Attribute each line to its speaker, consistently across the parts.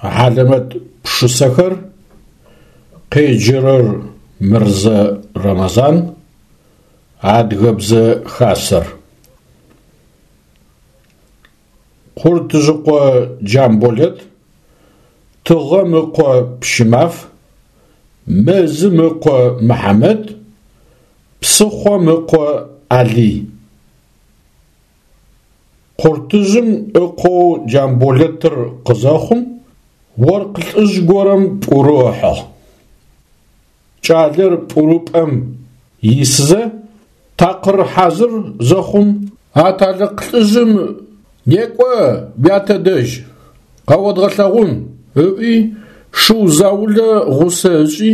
Speaker 1: Хьалэмэт пшысэхэр, къеджэрэр Мырзэ Рэмэзан, Адыгэбзэ Хасэр. Хъуртыжъыкъо Джамболэт, Тыгъэм ыкъо Пщымаф, Мэзым ыкъо Мыхьамэт, Псыхъом ыкъо Алый. Хъуртыжъым ыкъоу Джамболэтыр къызэхъум, оркъ лӏыжъ горэм пӏурэу ыхьыгъ. Кӏалэр пӏурыпӏэм исызэ, такъыр хьазыр зэхъум, аталыкъ лӏыжъым «Некӏо уятэ дэжь, къэодгъэлъэгъун» ыӏуи, шыу заулэ гъусэ ышӏи,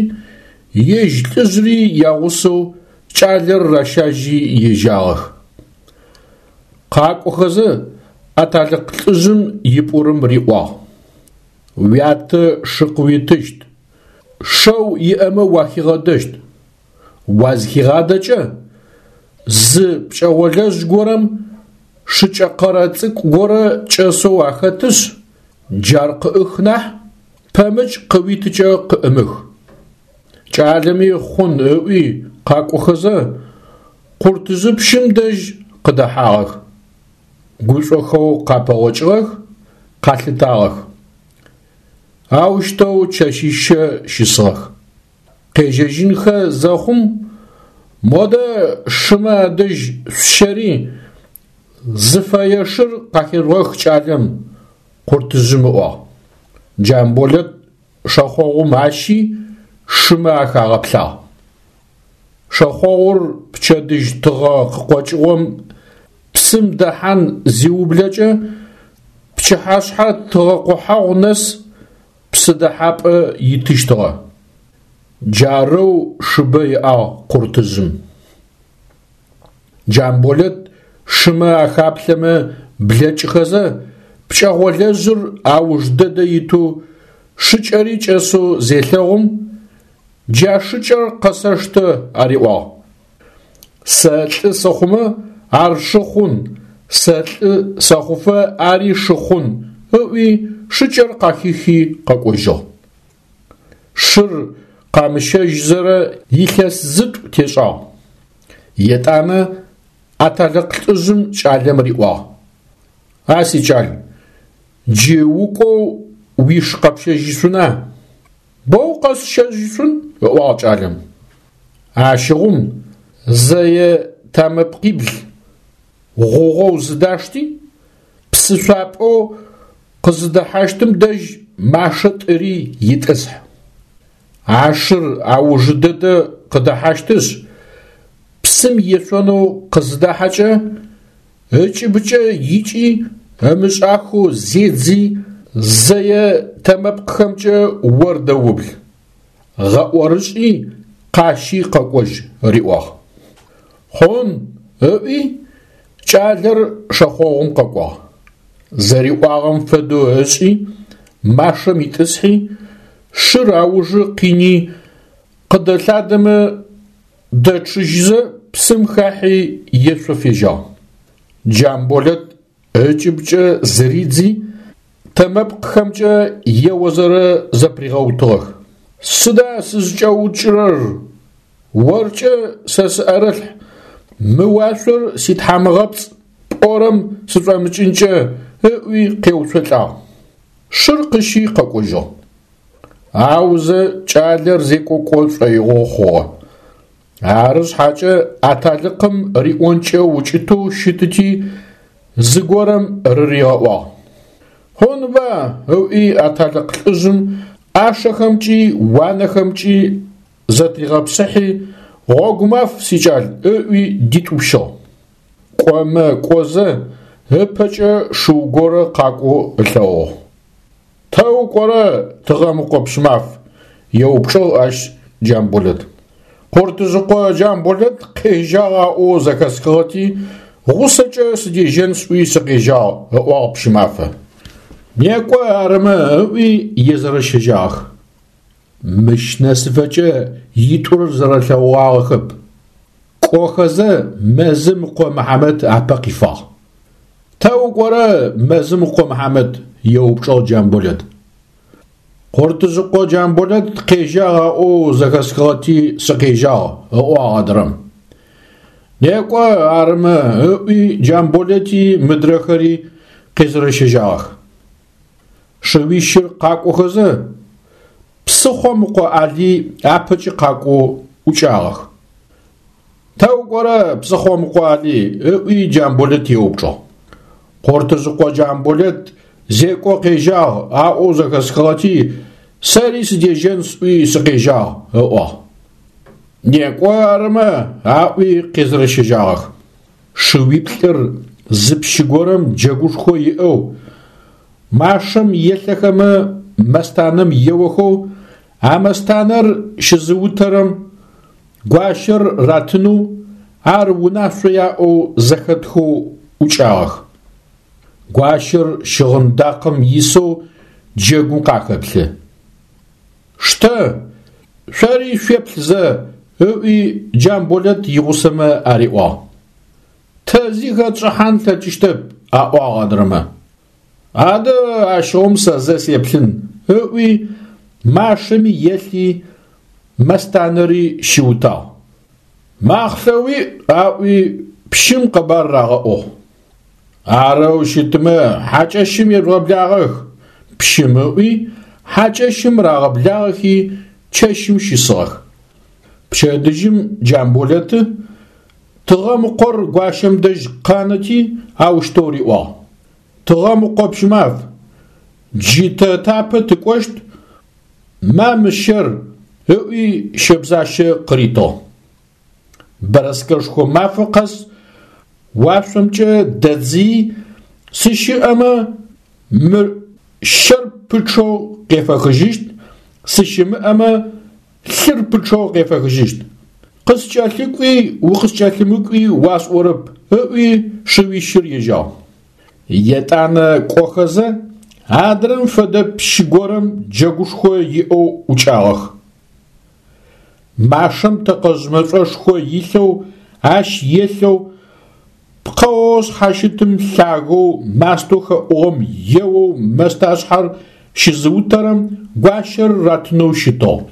Speaker 1: ежь лӏыжъри ягъусэу кӏалэр ращажьи ежьагъэх. Къакӏохэзэ, аталыкъ лӏыжъым ипӏурым риӏуагъ: «Уятэ шы къыуитыщт, шэу иӏэмэ уахигъэдэщт. Уазхигъадэкӏэ, зы пкӏэгъолэжъ горэм шыкӏэ къэрэ цӏыкӏу горэ кӏэсэу ахэтышъ, джар къыӏых нахь, пэмыкӏ къыуитыкӏэ къыӏымых». Кӏалэми хъун ыӏуи къакӏохэзэ, Хъуртыжъыпщым дэжь къыдэхьагъэх. Гушӏохэу къапэгъокӏыгъэх, къалъытагъэх. Аущтэу чэщищэ щысыгъэх. Къежьэжьынхэ зэхъум, модэ шымэ адэжь шъущэри, зыфэе шыр къахежъугъэх кӏалэм, Хъуртыжъым ыӏуагъ. Джамболэт шэхъогъум ащи, шымэ ахагъэплъагъ. Шэхъогъур пчэдыжь тыгъэ къыкъокӏыгъом псым дэхьан зиублэкӏэ, пчыхьашъхьэ тыгъэ къохьэгъу нэс псы дэхьапӏэ итыщтыгъэ. Джарэу шыбэ иӏагъ Хъуртыжъым. Джамболэт шымэ ахаплъэмэ блэкӏыхэзэ, пкӏэгъолэжъыр ауж дэдэ итэу шыкӏэри кӏэсэу зелъэгъум, «Джа шыкӏэр къэсэштэ» ариӏуагъ. Сэ лӏы сыхъумэ, ар шы хъун, сэ лӏы сэхъуфэ ари шы хъун, ыӏуи шыкӏэр къахихи къэкӏожьыгъ. Шыр къамыщэжьзэрэ илъэс зытӏу тешӏагъ. Етӏанэ аталыкъ лӏыжъым кӏалэм риӏуагъ: «А сикӏал, джы укӏоу уиш къэпщэжьышъуна? Боу къэсщэжьышъун, ыӏуагъ кӏалэм. Ащыгъум зэе тамэпкъибл гъугъэу зыдашти, псышъуапӏэу къызыдэхьащтым дэжь машэ тӏыри итӏысхь. А шыр аужы дэдэ къыдэхьащтышъ, псым ешъонэу къызыдахьэкӏэ, ыкӏыбыкӏэ икӏи ымышӏахэу зедзи, зэе тэмэпкъхэмкӏэ ор дэубл, гъэӏорышӏи къащи къэкӏожь, риӏуагъ. Хъун, ыӏуи, кӏалэр шэхъогъум къэкӏуагъ. Зэриӏуагъэм фэдэу ышӏи, машэм итӏысхьи, шыр аужы къини, къыдэлъадэмэ дэчъыжьызэ псым хахьи ешъо фежьагъ. Джамболэт ыкӏыбкӏэ зыридзи, тэмэпкъхэмкӏэ еозэрэ зэпыригъэутыгъэх. Сыда сызкӏэукӏырэр? Оркӏэ сэ сыӏэрылъхь, мы уашъор ситхьамыгъэпцӏ пӏорэм сышӏомыкӏынкӏэ, ыӏуи къеуцолӏагъ. Шыр къыщи къэкӏожьыгъ. Аузэ кӏалэр зекӏо кӏо шӏоигъо хъугъэ. Ары шъхьакӏэ аталыкъым риӏонкӏэ укӏытэу щытыти, зыгорэм рыригъэӏуагъ. Хъунба, ыӏуи аталыкъ лӏыжъым ӏашэхэмкӏи уанэхэмкӏи зэтригъэпсыхьи, гъогумаф, сикӏал, ыӏуи дитӏупщыгъ. Кӏомэ кӏозэ, ыпэкӏэ шыу горэ къакӏоу ылъэгъугъ. Тэ укӏорэ, Тыгъэмыкъо Пщымаф? еупчӏыгъ ащ Джамболэт. Хъуртыжъыкъо Джамболэт къежьагъ аӏоу зэхэсхыгъэти, гъусэкӏэ сыдежьэн сӏуи сыкъежьагъ, ыӏуагъ Пщымафэ. Некӏо арымэ, ыӏуи езэрэщэжьагъэх. Мыщ нэсыфэкӏэ итӏур зэрэлъэгъугъагъэхэп. Кӏохэзэ мэзым ыкъо Мыхьамэт апэ къифагъ. Тэ укӏорэ, мэзым ыкъо Мыхьамэт? еупчӏыгъ Джамболэт. Хъуртыжъыкъо Джамболэт къежьагъ аӏоу зэхэсхыгъэти сыкъежьагъ, ыӏуагъ адрэм. Некӏо арымэ, ыӏуи Джамболэти мыдрэхэри къезэрэщэжьагъэх. Шыуищыр къакӏохэзэ, псыхъом ыкъо Алый апэкӏи къакӏоу ӏукӏагъэх. Тэ укӏорэ, псыхъом ыкъо Алый? ыӏуи Джамболэт еупчӏыгъ. Хъуртыжъыкъо Джамболэт зекӏо къежьагъ аӏоу зэхэсхыгъэти, сэри сыдежьэн сӏуи сыкъежьагъ, ыӏуагъ. Некӏо арымэ, аӏуи къезэрэщэжьагъэх. Шыуиплӏыр зы пщы горэм джэгушхо иӏэу, машэм елъэхэмэ мэстанэм еохэу, а мэстанэр щызыутэрэм гуащэр ратынэу, ар унашъо яӏэу зэхэтхэу ӏукӏагъэх. Гуащэр щыгъын дакъэм исэу джэгум къахэплъы. Штэ, шъори шъуеплъ зэ, ыӏуи Джамболэт игъусэмэ ариӏуагъ. Тэ зи хэтшӏыхьан тлъэкӏыщтэп, аӏуагъ адрэмэ. Адэ ащыгъум сэ зэ сеплъын, ыӏуи машэми елъи, мэстанэри щиутагъ. Махълъэ уиӏ, аӏуи пщым къэбар рагъэӏугъ. Арэу щытмэ, хьакӏэщым ежъугъэблагъэх, пщым ыӏуи, хьакӏэщым рагъэблагъэхи, чэщым щысыгъэх. Пчэдыжьым Джамболэты Тыгъэмыкъор гуащэм дэжь къанэти, аущтэу риӏуагъ. Тыгъэмыкъо Пщымаф, джы тэ тапэ тыкӏощт, ма мы щэр, ыӏуи щэбзащэ къыритыгъ. Бэрэскэшхо мафэ къэс уашъомкӏэ дэдзыи, сыщыӏэмэ, мыр щэр пычъэу къефэхыжьыщт, сыщымыӏэмэ, лъыр пычъэу къефэхыжьыщт. Къыскӏэлъыкӏуи укъыскӏэлъымыкӏуи уасӏорэп, ыӏуи шыуищыр ежьагъ. Етӏанэ кӏохэзэ, адрэм фэдэ пщы горэм джэгушхо иӏэу ӏукӏагъэх. Машэм тэкъэжъ мэшӏошхо илъэу, ащ елъэу, пкъэоу шъхьащытым лъагэу мастэу хэӏугъэм еоу мэсташъхьэр щызыутэрэм гуащэр ратынэу щытыгъ.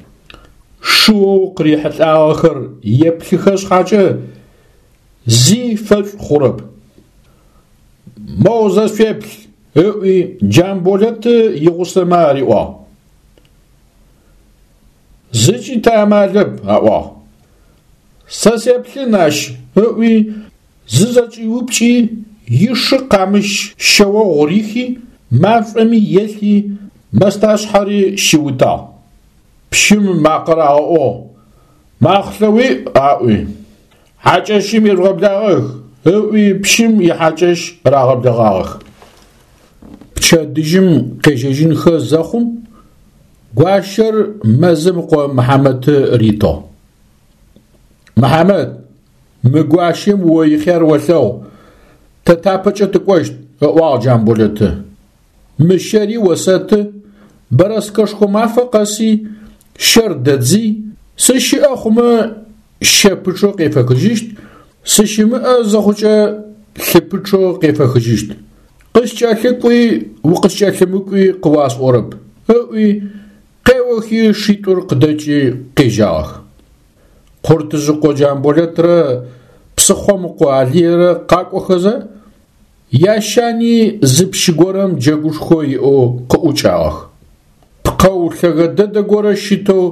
Speaker 1: Шыоу къырихьылӏагъэхэр еплъыхэ шъхьакӏэ, зи фэшӏу хъурэп. Моу зэ шъуеплъ, ыӏуи Джамболэты игъусэмэ ариӏуагъ. Зыкӏи тыамалэп, аӏуагъ. Сэ сеплъын ащ, ыӏуи, зызэкӏиупкӏи, ишы къамыщ шъэогъу рихи, машӏоми елъи, мэсташъхьэри щиутагъ. Пщым макъэ рагъэӏугъ, Махълъэ уиӏ, аӏуи. Хьакӏэщым ежъугъэблагъэх, ыӏуи пщым ихьакӏэщ рагъэблэгъагъэх. Пчэдыжьым къежьэжьынхэ зэхъум, гуащэр мэзым ыкъо Мыхьамэты ритыгъ. Мыхьамэт, мы гуащэм о ихъяр олъэгъу, тэ тапэкӏэ тыкӏощт, ыӏуагъ Джамболэты. Мы щэри осэты, бэрэскэшхо мафэ къэси щэр дэдзый, сыщыӏэ хъумэ щэ пычъэу къефэхыжьыщт, сыщымыӏэ зыхъукӏэ лъы пычъэу къефэхыжьыщт. Къыскӏэлъыкӏуи укъыскӏэлъымыкӏуи къыуасӏорэп, ыӏуи, къеохи шитӏур къыдэкӏи къежьагъэх. Хъуртыжъыкъо Джамболэтрэ псыхъом ыкъо Алыйрэ къакӏохэзэ, ящани зы пщы горэм джэгушхо иӏэу къыӏукӏагъэх. Пкъэу лъэгэ дэдэ горэ щытэу,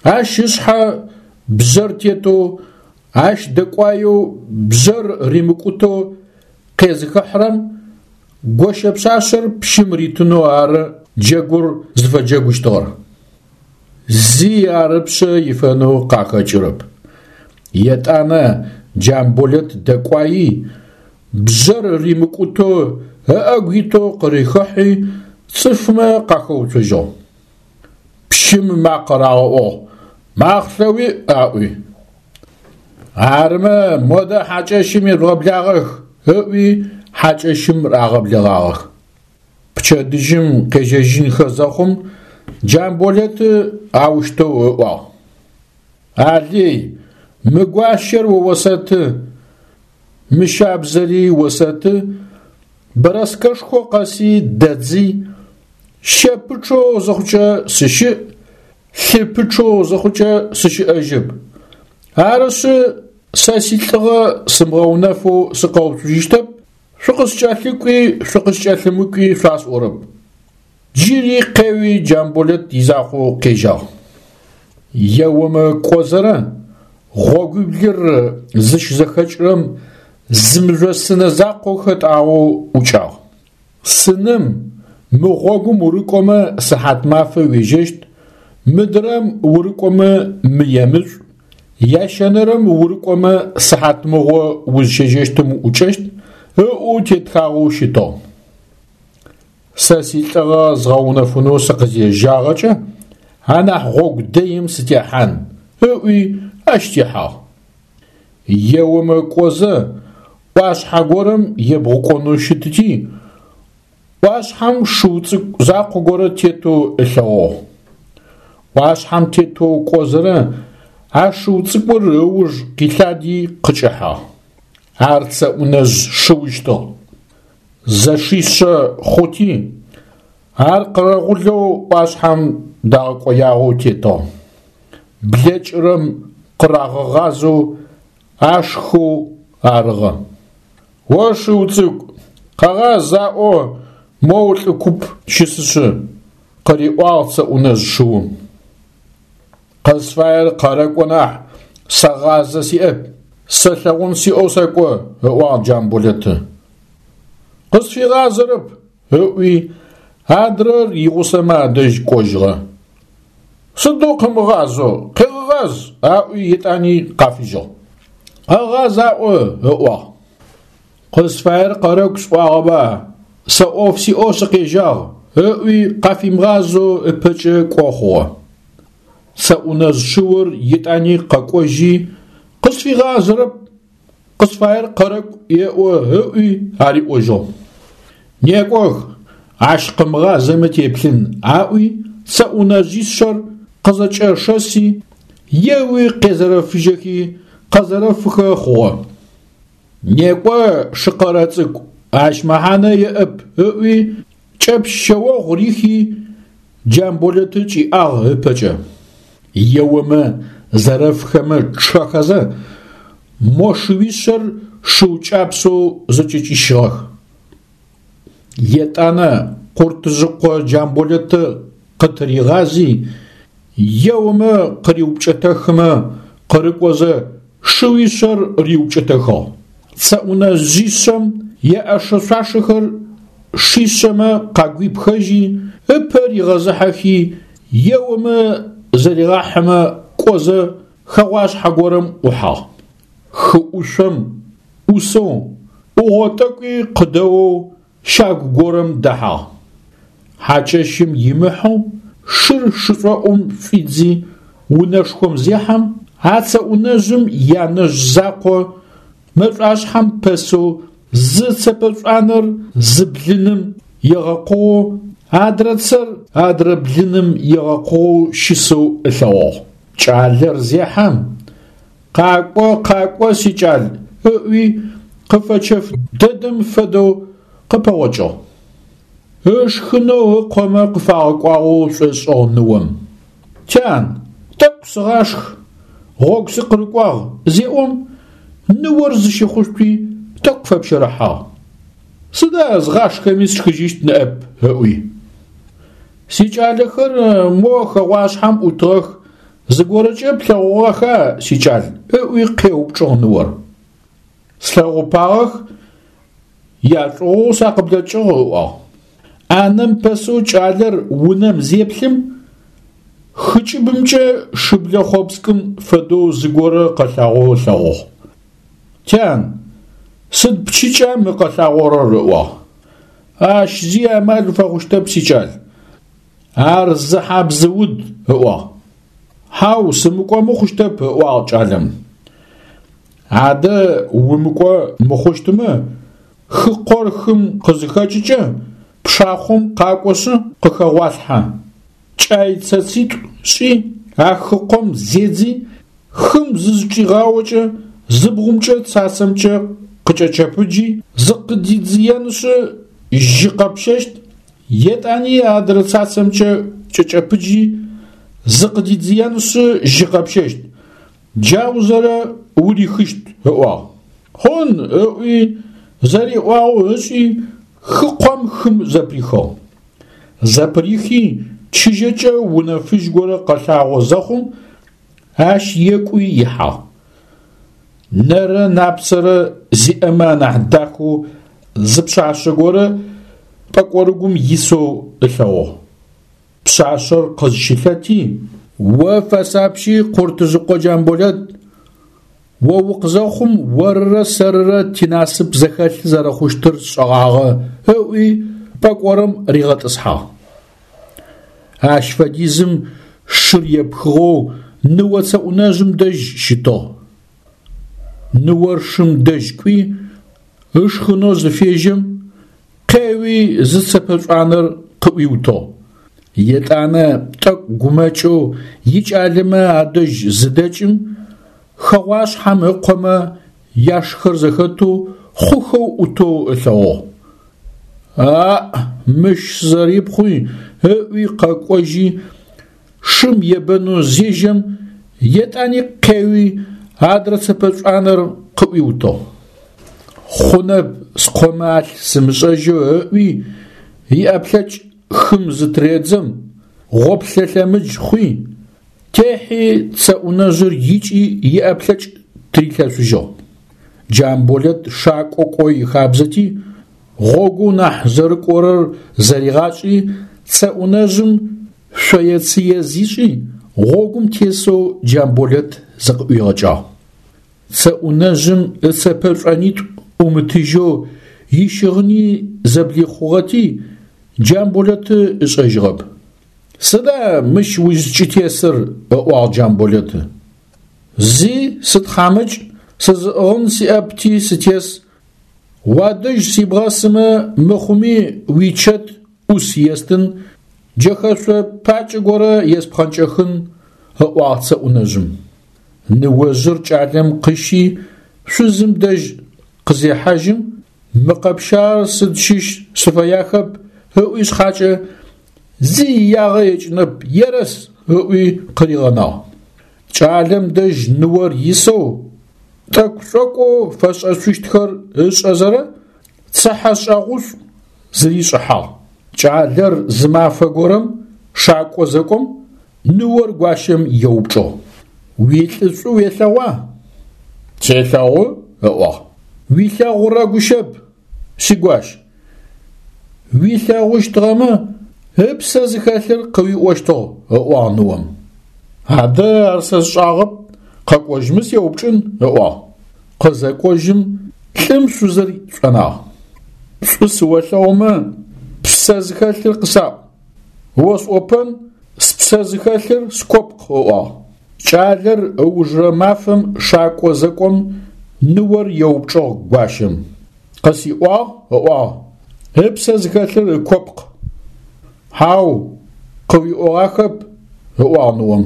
Speaker 1: ащ ышъхьэ бжъэр тетэу, ащ дэкӏуаеу бжъэр римыкӏутэу къезыхыхьрэм гощэ пшъашъэр пщым ритынэу ары джэгур зыфэджэгущтыгъэр. Зи ар ыпшъэ ифэнэу къахэкӏырэп. Етӏанэ Джамболэт дэкӏуаий, бжъэр римыкӏутэу ыӏэгу итэу къырихыхьи, цӏыфмэ къахэуцожьыгъ. Пщым макъэ рагъэӏугъ, Махълъэ уиӏ, аӏуи. Арымэ, модэ хьакӏэщым ежъугъэблагъэх, ыӏуи хьакӏэщым рагъэблэгъагъэх. Пчэдыжьым къежьэжьынхэ зэхъум Джамболэты аущтэу ыӏуагъ. Алый, мы гуащэр о осэты, мы щабзэри осэты, бэрэскэшхо къэси дэдзый, Щэ пычъэу зыхъукӏэ сыщыӏ, лъы пычъэу зыхъукӏэ сыщыӏэжьэп. Арышъы, сэ силӏыгъэ сымыгъэунэфэу сыкъэуцужьыщтэп, шъукъыскӏэлъыкӏуи шъукъыскӏэлъымыкӏуи шъуасӏорэп. Джыри къеуи Джамболэт изакъоу къежьагъ. Еомэ кӏозэрэ гъогуиблыр зыщызэхэкӏырэм зы мыжъосынэ закъо хэтӏагъэу ӏукӏагъ. Сыным мы гъогум урыкӏомэ сыхьатмафэ уежьэщт, мыдрэм урыкӏомэ мыемышӏу, ящэнэрэм урыкӏомэ сыхьатмыгъо узщежьэщтым уӏукӏэщт, ыӏоу тетхагъэу щытыгъ. Сэ силӏыгъэ згъэунэфынэу сыкъызежьагъэкӏэ, анахь гъогу дэим сытехьан, ыӏуи ащ техьагъ. Еомэ кӏозэ, ӏуашъхьэ горэм ебгъукӏонэу щытыти, ӏуашъхьэм шыу цӏыкӏу закъо горэ тетэу ылъэгъугъ. ӏуашъхьэм тетэу кӏозэрэ а шыу цӏыкӏур ыуж къилъади къыкӏэхьагъ. Ар Цэӏунэжъ шыущтыгъ. Зэшишъэ хъути, ар къэрэгъулэу ӏуашъхьэм дагъэкӏоягъэу тетыгъ. Блэкӏырэм къырагъэгъазэу ашхыу арыгъэ. О шыу цӏыкӏу, къэгъаз аӏо моу лӏы куп щысышъы, къыриӏуагъ Цэӏунэжъ шыум. Къызфаер къэрэкӏо нахь, сэ гъазэ сиӏэп, сэ лъэгъун сиӏэу сэкӏо, ыӏуагъ Джамболэты. Къысфигъазэрэп, ыӏуи, адрэр игъусэмэ адэжь кӏожьыгъэ. Сыдэу къымыгъазэу, къегъэгъаз, аӏуи етӏани къафыжьыгъ. Къэгъаз аӏо, ыӏуагъ. Къызфаер къэрэкӏу сӏуагъэба, сэ ӏоф сиӏэу сыкъежьагъ, ыӏуи къафимыгъазэу ыпэкӏэ кӏо хъугъэ. Цэӏунэжъ шыур етӏани къэкӏожьи, къысфигъазэрэп, къысфаер къэрэкӏу еӏо ыӏуи ариӏожьыгъ. Некӏох, ащ къымыгъазэмэ теплъын, аӏуи цэӏунэжъишъэр къызэкӏэшэси, еуи къезэрэфыжьэхи къэзэрэфыхэ хъугъэ. Некӏо, шыкъэрэ цӏыкӏу, ащ мэхьанэ иӏэп, ыӏуи кӏэпщ шъэогъу рихи, Джамболэты кӏиӏагъ ыпэкӏэ. Еомэ, зэрэфхэмэ чъэхэзэ, мо шыуишъэр шыу кӏапсэу зэкӏэкӏищыгъэх. Етӏанэ Къуртыжъыкъо Джамболэты къытыригъази, еомэ къыриупкӏэтэхымэ къырыкӏозэ, шыуишъэр риупкӏэтэхыгъ. Цэӏунэжъишъэм яӏэшэ-шъуашэхэр шишъэмэ къагуипхэжьи, ыпэ ригъэзыхьэхи, еомэ зэригъахьымэ кӏозэ хэгъуашъхьэ горэм ӏухьагъ. Хы ӏушъом ӏусэу, ӏугъо тӏэкӏуи къыдэоу щагу горэм дэхьагъ. Хьакӏэщым имыхьэу шыр шышӏоӏум шӏуидзи унэшхом зехьэм, а цэӏунэжъым янэжъ закъо мэшӏуашъхьэм пэсэу зы цэпэшӏуанэр зы блыным егъэкъугъэу, адрэ цэр адрэ блыным егъэкъугъэу щысэу ылъэгъугъ. Кӏалэр зехьэм, Къакӏо, къакӏо, сикӏал, ыӏуи, къыфэчэф дэдэм фэдэу къыпэгъокӏыгъ. Ышхынэу ыкъомэ къыфагъэкӏуагъэу шӏошӏыгъ ныом. Тян, тӏэкӏу сыгъашх, гъогу сыкъырыкӏуагъ, зеӏом, ныор зыщыхъушъуи тӏэкӏу фэпщэрыхьагъ. Сыда згъашхэми сшхыжьыщт ныӏэп, ыӏуи. Сикӏалэхэр мо хэгъуашъхьэм ӏутыгъэх, зыгорэкӏэ плъэгъугъэха, сикӏал? ыӏуи къеупчӏыгъ ныор. Слъэгъупагъэх, яшӏугъоу сакъыблэкӏыгъ, ыӏуагъ. ӏанэм пэсэу кӏалэр унэм зеплъым, хы кӏыбымкӏэ шыблэ хъопскӏым фэдэу зыгорэ къэлъагъоу ылъэгъугъ. Тян, сыд пчыкӏа мы къэлъагъорэр? ыӏуагъ. Ащ зи амал фэхъущтэп, сикӏал. Ар зы хьабзыуд, ыӏуагъ. Хьау, сымыкӏомэ хъущтэп, ыӏуагъ кӏалэм. Адэ умыкӏо мыхъущтымэ, хыкъор хым къызыхэкӏыкӏэ, пшахъом къакӏошъы къыхэгъуалъхьэ. Кӏай цэцитӏу шӏи, а хыкъом зедзи, хым зызчӏигъаокӏэ, зы бгъумкӏэ цацэмкӏэ къыкӏэчэпыджи, зыкъыдидзыенышъы, жьы къэпщэщт. Етӏани адрэ цацэмкӏэ кӏэкӏэпыджи, зыкъыдидзыенышъы жьы къэпщэщт, джаузэрэ урихыщт, ыӏуагъ. Хъун, ыӏуи, зэриӏуагъэу ышӏи, хыкъом хым зэпырихыгъ. Зэпырихи, чыжьэкӏэ унэ фыжь горэ къэлъагъо зэхъум, ащ екӏуи ихьагъ. Нэрэ напцэрэ зиӏэмэ анахь дахэу зы пшъашъэ горэ пӏэкӏорыгум исэу ылъэгъугъ. Пшъашъэр къызщылъэти, О фэсапщи, Хъуртыжъыкъо Джамболэт, о укъызэхъум орырэ сэрырэ тинасып зэхэлъ зэрэхъущтыр сшӏэгъагъэ, ыӏуи пӏэкӏорым ригъэтӏысхьагъ. Ащ фэдизым шыр епхыгъэу ныо цэӏунэжъым дэжь щытыгъ. Ныор шым дэжь кӏуи, ышхынэу зыфежьэм, къеуи зы цэпэ шӏуанэр къыӏуиутыгъ. Етӏанэ тӏэкӏу гумэкӏэу икӏалэмэ адэжь зыдэкӏым, хэгъуашъхьэм ыкъомэ яшхэр зэхэтэу хъухэу ӏутэу ылъэгъугъ. Аӏ, мыщ сызэрипхъуи, ыӏуи къэкӏожьи, шым ебэнэу зежьэм, етӏани къеуи, адрэ цэпэ шӏуанэр къыӏуиутыгъ. Хъунэп скъомэ алъ сымышӏэжьэу ыӏуи, иӏэплъэкӏ хым зытыредзэм, гъоплъэ лъэмыдж хъуи, техьи цэӏунэжъыр икӏи иӏэплъэкӏ тырилъэшъужьыгъ. Джамболэт шакӏо кӏо ихабзэти, гъогоу нахь зэрыкӏорэр зэригъашӏи, цэӏунэжъым шъое-цые зишӏи, гъогум тесэу Джамболэт зыкъыӏуигъэкӏагъ. Цэӏунэжъым ыцэпэ шӏонитӏу ӏумытыжьэу ищыгъыни зэблихъугъэти, Джамболэты ышӏэжьыгъэп. Сыда мыщ узкӏытесыр? ыӏуагъ Джамболэты. Зи, сытхьамыкӏ, сызыӏыгъын сиӏэпти сытес. Уадэжь сибгъэсымэ мыхъуми уичэт ӏус естын, джэхэшъо пакӏэ горэ еспхъэнкӏэхын, ыӏуагъ цэӏунэжъым. Ныожъыр кӏалэм къыщи, шъузым дэжь къызехьажьым, мы къэпщагъэр сыд щыщ сыфэяхэп ыӏуи шъхьакӏэ, зи иягъэ екӏынэп, ерэс ыӏуи къыригъэнагъ. Кӏалэм дэжь ныор исэу, тӏэкӏу-шӏокӏоу фэшӏэшъущтхэр ышӏэзэрэ, цыхьэшӏэгъушӏу зыришӏыхьагъ. Кӏалэр зы мафэ горэм шакӏо зэкӏом, ныор гуащэм еупчӏыгъ: Уилӏы шӏу уелъэгъуа? Селъэгъу, ыӏуагъ. Уилъэгъурэ гущэп, сигуащ. Уилъэгъущтыгъэмэ, ыпсэ зыхэлъыр къыуиӏощтыгъ, ыӏуагъ ныом. Адэ ар сэ сшӏагъэп, къэкӏожьмэ сеупчӏын, ыӏуагъ. Къызэкӏожьым, лӏым шъузыр шӏонагъ. Шӏу сыолъэгъумэ, ппсэ зыхэлъыр къысаӏу. Осӏопэн, спсэ зыхэлъыр скопкъ, ыӏуагъ. Кӏалэр ыужырэ мафэм шакӏо зэкӏом, ныор еупчӏыгъ гуащэм. Къысиӏуагъ, ыӏуагъ, ыпсэ зыхэлъыр ыкопкъ. Хьау, къыуиӏогъахэп, ыӏуагъ ныом.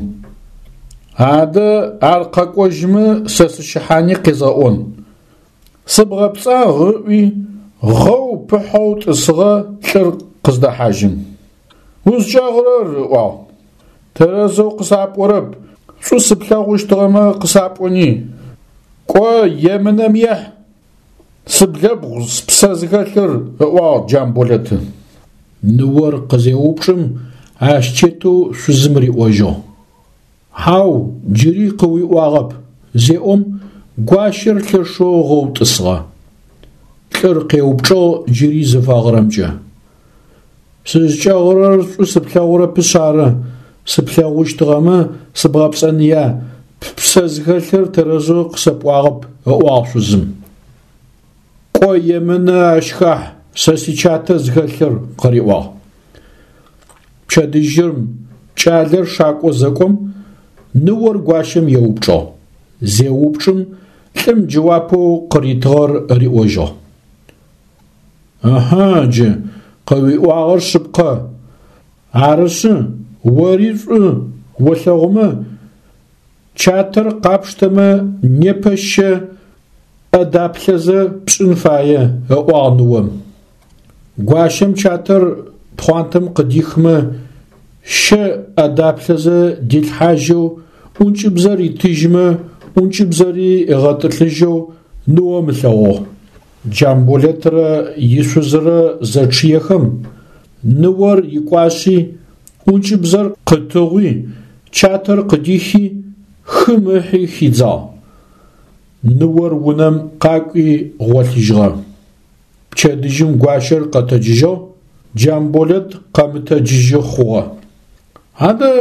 Speaker 1: Адэ ар къэкӏожьмэ сэ сыщыхьани къезгъэӏон. Сыбгъэпцӏагъ ыӏуи, гъэу пыхьэу тӏысыгъэ лӏыр къыздэхьажьым. Узкӏэгъырэр, ыӏуагъ. Тэрэзэу къысапӏорэп, шӏу сыплъэгъущтыгъэмэ къысапӏони. Кӏо, емынэм ехь, Сыблэбгъу спсэ зыхэлъыр, ыӏуагъ Джамболэты. Ныор къызеупчӏым, ащ тетэу шъузым риӏожьыгъ. Хьау, джыри къыуиӏуагъэп, зеӏом, гуащэр лъэшэу гъэу тӏысыгъэ. Лӏыр къеупчӏыгъ джыри зыфэгъырэмкӏэ. Сызкӏэгъырэр шӏу сыплъэгъурэпышъ ары, сыплъэгъущтыгъэмэ, сыбгъэпцӏэныя, ппсэ зыхэлъыр тэрэзэу къысэпӏуагъэп, ыӏуагъ шъузым. Кӏо, емынэ ащ хахь, сэ сичатэ зыхэлъыр, къыриӏуагъ. Пчэдыжьым кӏалэр шакӏо зэкӏом, ныор гуащэм еупчӏыгъ. Зеупчӏым, лӏым джэуапэу къыритыгъэр риӏожьыгъ. Ыхьы, джы, къыуиӏуагъэр шъыпкъэ. Арышъы, ори шӏу олъэгъумэ, чатэр къапштэмэ непэ щэ ӏэ даплъэзэ пшӏын фае, ыӏуагъ ныом. Гуащэм чатэр пхъуантэм къыдихмэ, щэ ӏэдаплъэзэ дилъхьажьэу, ӏункӏыбзэр ритыжьмэ, ӏункӏыбзэри ыгъэтӏылъыжьэу ныом ылъэгъугъ. Джамболэтрэ ишъузрэ зэчъыехэм, ныор икӏуашъи, ӏункӏыбзэр къытыгъуи, чатэр къыдихи, хым ыхьи хидзагъ. Ныор унэм къакӏуи гъолъыжьыгъэ. Пчэдыжьым гуащэр къэтэджыжьыгъ, Джамболэт къэмытэджыжьы хъугъэ. Адэ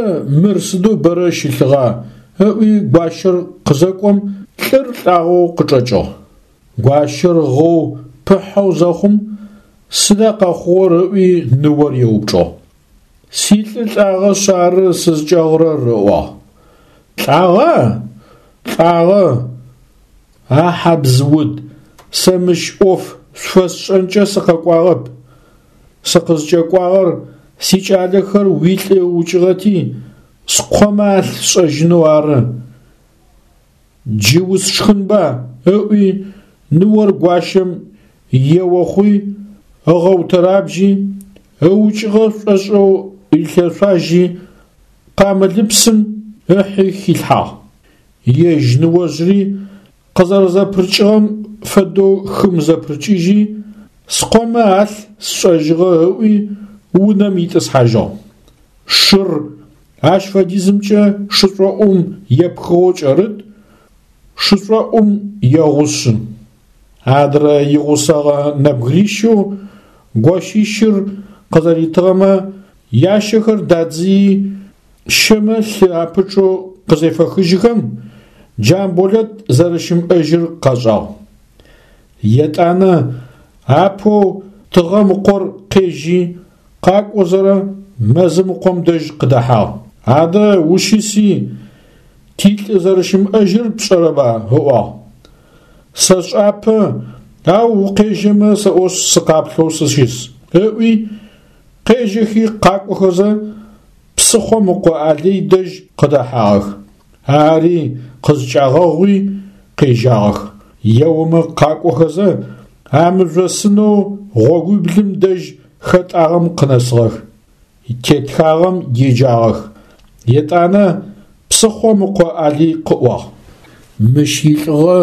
Speaker 1: мыр сыдэу бэрэ щылъыгъа? ыӏуи гуащэр къызэкӏом, лӏыр лӏагъэу къычӏэкӏыгъ. Гуащэр гъэу пыхьэу зэхъум, сыда къэхъугъэр ыӏуи ныор еупчӏыгъ. Силӏы лӏагъэшъ ары сызкӏэгъырэр, ыӏуагъ. Лӏагъа? Лӏагъэ. А хьабз-уд, сэ мыщ ӏоф шъуфэсшӏэнкӏэ сыкъэкӏуагъэп. Сыкъызкӏэкӏуагъэр сикӏалэхэр уилӏы ыукӏыгъэти, скъомэ алъ сшӏэжьынэу ары. Джы усшхынба, ыӏуи, ныор гуащэм ео хъуи, ыгъэутэрабжьи, ыукӏыгъэ шӏошӏэу рилъэшъуажьи, къамылыпсым ыхьи хилъхьагъ. Ежь ныожъри къызэрэзэпырыкӏыгъэм фэдэу хым зэпырыкӏыжьи, скъомэ алъ сшӏэжьыгъэ ыӏуи, унэм итӏысхьажьыгъ. Шыр ащ фэдизымкӏэ шышӏоӏум епхыгъэу кӏэрыт, шышӏоӏум егъушъы. Адрэ игъусэгъэ нэбгырищэу гощищыр къызэритыгъэмэ ящэхэр дадзыи, щэмэ лъы апычъэу къызефэхыжьыхэм, Джамболэт зэрэщымыӏэжьыр къашӏагъ. Етӏанэ апэу Тыгъэм ыкъор къежьи, къакӏозэрэ мэзым ыкъом дэжь къыдэхьагъ. Адэ ущыси, тилӏы зэрэщымыӏэжьыр пшӏэрэба? ыӏуагъ. Сэшӏапэ, ау укъежьэмэ сэӏошъ сыкъаплъэу сыщыс, ыӏуи, къежьэхи къакӏохэзэ, псыхъом ыкъо Алый дэжь къыдэхьагъэх. Ари къызкӏагъэгъуи къежьагъэх. Еомэ къакӏохэзэ, а мыжъосынэу гъогуиблым дэжь хэтӏагъэм къынэсыгъэх. Тетхагъэм еджагъэх. Етӏанэ псыхъом ыкъо Алый къыӏуагъ. Мыщ илӏыгъэ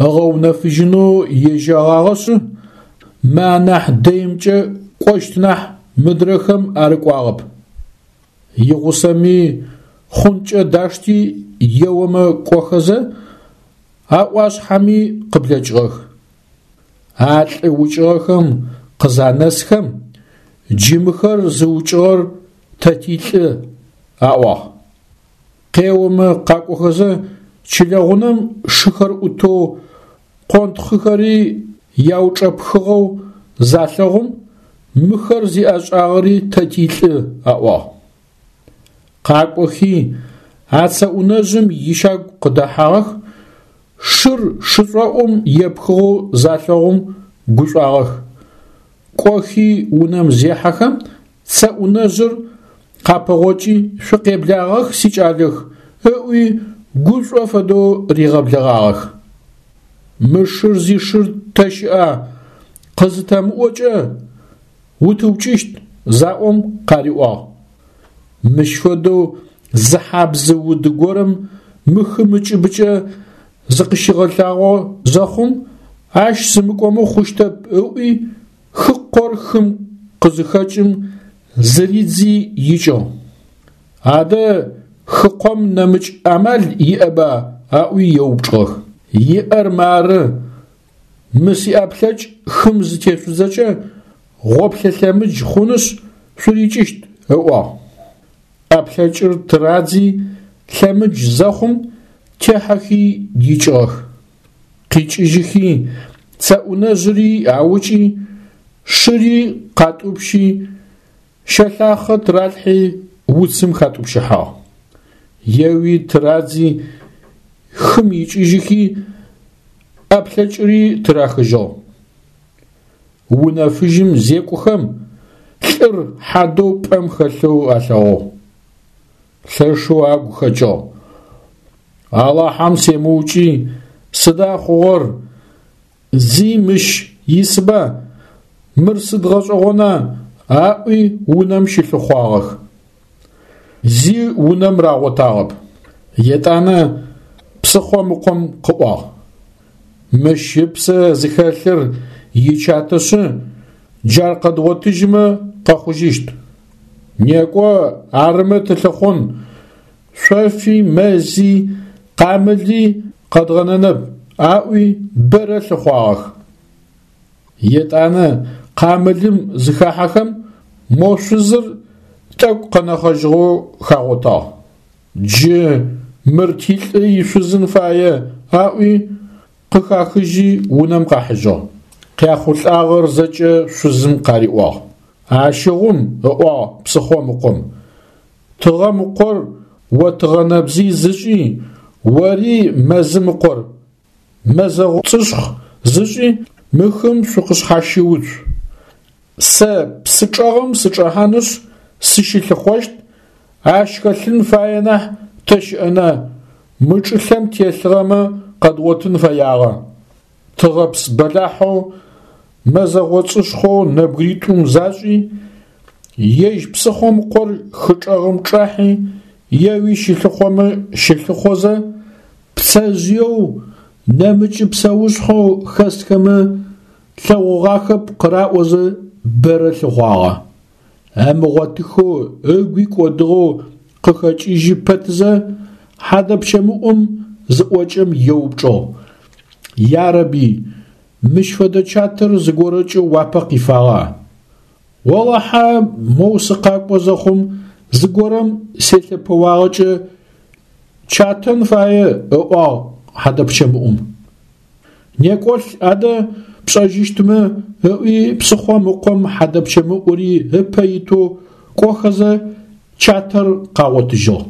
Speaker 1: ыгъэунэфыжьынэу ежьэгъагъэшъы, мы анахь дэимкӏэ кӏощт нахь мыдрэхэм арыкӏуагъэп. Игъусэми хъункӏэ дашти еомэ кӏохэзэ, а ӏуашъхьэми къыблэкӏыгъэх. А лӏы укӏыгъэхэм къызанэсхэм, джы мыхэр зыукӏыгъэр тэ тилӏы, аӏуагъ. Къеомэ къакӏохэзэ, чылэгъунэм шыхэр ӏутэу, къонтхъыхэри яучӏэпхыгъэу залъэгъум, мыхэр зиӏэшӏагъэри тэ тилӏы, аӏуагъ. Къакӏохи, а цэӏунэжъым ищагу къыдэхьагъэх, шыр шышӏоӏум епхыгъэу залъэгъум гушӏуагъэх. Кӏохи унэм зехьэхэм, цэӏунэжъыр къапэгъокӏи, шъукъеблагъэх, сикӏалэх, ыӏуи, гушӏо фэдэу ригъэблэгъагъэх. Мы шыр зишыр тэ щыӏа, къызытэмыӏокӏэ, утыукӏыщт, заӏом къариӏуагъ. Мыщ фэдэу зы хьабзы уды горэм мы хым ыкӏыбыкӏэ зыкъыщигъэлъагъо зэхъум, ащ сымыкӏомэ хъущтэп ыӏуи, хыкъор хым къызыхэкӏым зыридзи икӏыгъ. Адэ хыкъом нэмыкӏ амал иӏэба аӏуи еупчӏыгъэх. Иӏэр мары, мы сиӏэплъэкӏ хым зытешъудзэкӏэ, гъоплъэ лъэмыдж хъунышъ, шъурикӏыщт, ыӏуагъ. ӏэплъэкӏыр тырадзи, лъэмыдж зэхъум, техьэхи икӏыгъэх. Къикӏыжьыхи, цэӏунэжъыри аукӏи, шыри къатӏупщи, щэлъахъэ тыралъхьи уцым хатӏупщыхьагъ. Еуи тырадзи, хым икӏыжьыхи, ӏэплъэкӏыри тырахыжьыгъ. Унэ фыжьым зекӏохэм, лӏыр хьадэу пӏэм хэлъэу алъэгъугъ. Лъэшэу агу хэкӏыгъ. Алахьэм семыукӏи, сыда хъугъэр, зи мыщ исба, мыр сыд гъэшӏэгъона? Аӏуи унэм щылъыхъуагъэх. Зи унэм рагъотагъэп. Етӏанэ псыхъом ыкъом къыӏуагъ: Мыщ ыпсэ зыхэлъыр ичатэшъы, джар къэдгъотыжьымэ къэхъужьыщт. Некӏо, арымэ тылъыхъун, шъофи, мэзи, къамыли къэдгъэнэнэп, аӏуи бэрэ лъыхъуагъэх. Етӏанэ къамылым зыхахьэхэм, мо шъузыр тӏэкӏу къэнэхъэжьыгъэу хагъотагъ. Джы мыр тилӏы ишъузын фае, аӏуи, къыхахыжьи унэм къахьыжьыгъ. Къяхъулӏагъэр зэкӏэ шъузым къариӏуагъ. Ащыгъум, ыӏуагъ псыхъом ыкъом, тыгъэм ыкъор о тыгъэнэбзый зышӏи, ори мэзым ыкъор, мэзэгъо цӏышхъ зышӏи, мы хым шъукъышъхьащыуцу. Сэ псы чӏэгъым сычӏэхьанышъ, сыщылъыхъощт, ащ хэлъын фае нахь тэ щыӏэна, мы чӏылъэм телъыгъэмэ къэдгъотын фэягъэ. Тыгъэпс бэлахьэу мэзэгъо цӏышхъоу нэбгыритӏум зашӏи, ежь псыхъом ыкъор хы чӏэгъым чӏахьи, еуи щылъыхъомэ щылъыхъозэ, пцэжъыеу нэмыкӏы псэушъхьэу хэсхэмэ лъэгъугъахэп къыраӏозэ бэрэ лъыхъуагъэ. Ымыгъотыхэу ыгуи кӏодыгъэу къыхэкӏыжьы пэтзэ, хьадэпщэмыӏум зыӏокӏэм еупчӏыгъ: Ярэби, мыщ фэдэ чатэр зыгорэкӏэ уапэ къифагъа? Олахьэ, моу сыкъакӏо зэхъум зыгорэм селъэпэуагъэкӏэ чатэн фае, ыӏуагъ хьадэпщэмыӏум. Некӏолъ адэ пшӏэжьыщтмэ, ыӏуи псыхъом ыкъом хьадэпщэмыӏури ыпэ итэу кӏохэзэ чатэр къагъотыжьыгъ.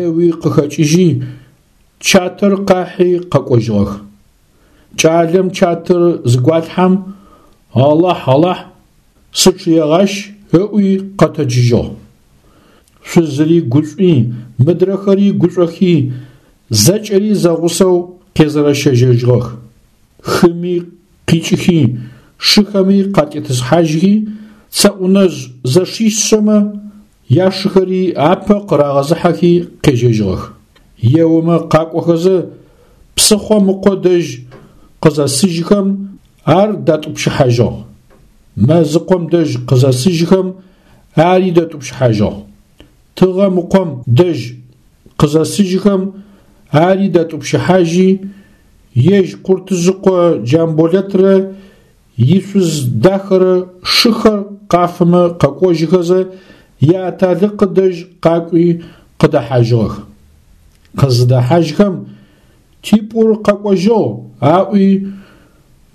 Speaker 1: Еуи къыхэкӏыжьи, чатэр къахьи къэкӏожьыгъэх. Кӏалэм чатэр зыгуалъхьэм, Алахь, Алахь, сычъыегъащ, ыӏуи къэтэджыжьыгъ. Шъузыри гушӏуи, мыдрэхэри гушӏохи, зэкӏэри зэгъусэу къезэрэщэжьэжьыгъэх. Хыми къикӏыхи, шыхэми къатетӏысхьажьхи, Цэӏунэжъ зэшищэмэ яшыхэри апэ къырагъэзыхьэхи къежьэжьыгъэх. Еомэ къакӏохэзэ, псыхъом ыкъо дэжь къызэсыжьхэм, ар датӏупщыхьажьыгъ. Мэзыкъом дэжь къызэсыжьхэм, ари датӏупщыхьажьыгъ. Тыгъэм ыкъом дэжь къызэсыжьхэм, ари датӏупщыхьажьи, ежь Къуртыжъыкъо Джамболэтрэ ишъуз дахэрэ шыхэр къафымэ къэкӏожьыхэзэ, яаталыкъы дэжь къакӏуи къыдэхьажьыгъэх. Къызыдэхьажьхэм, типӏур къэкӏожьыгъ, аӏуи,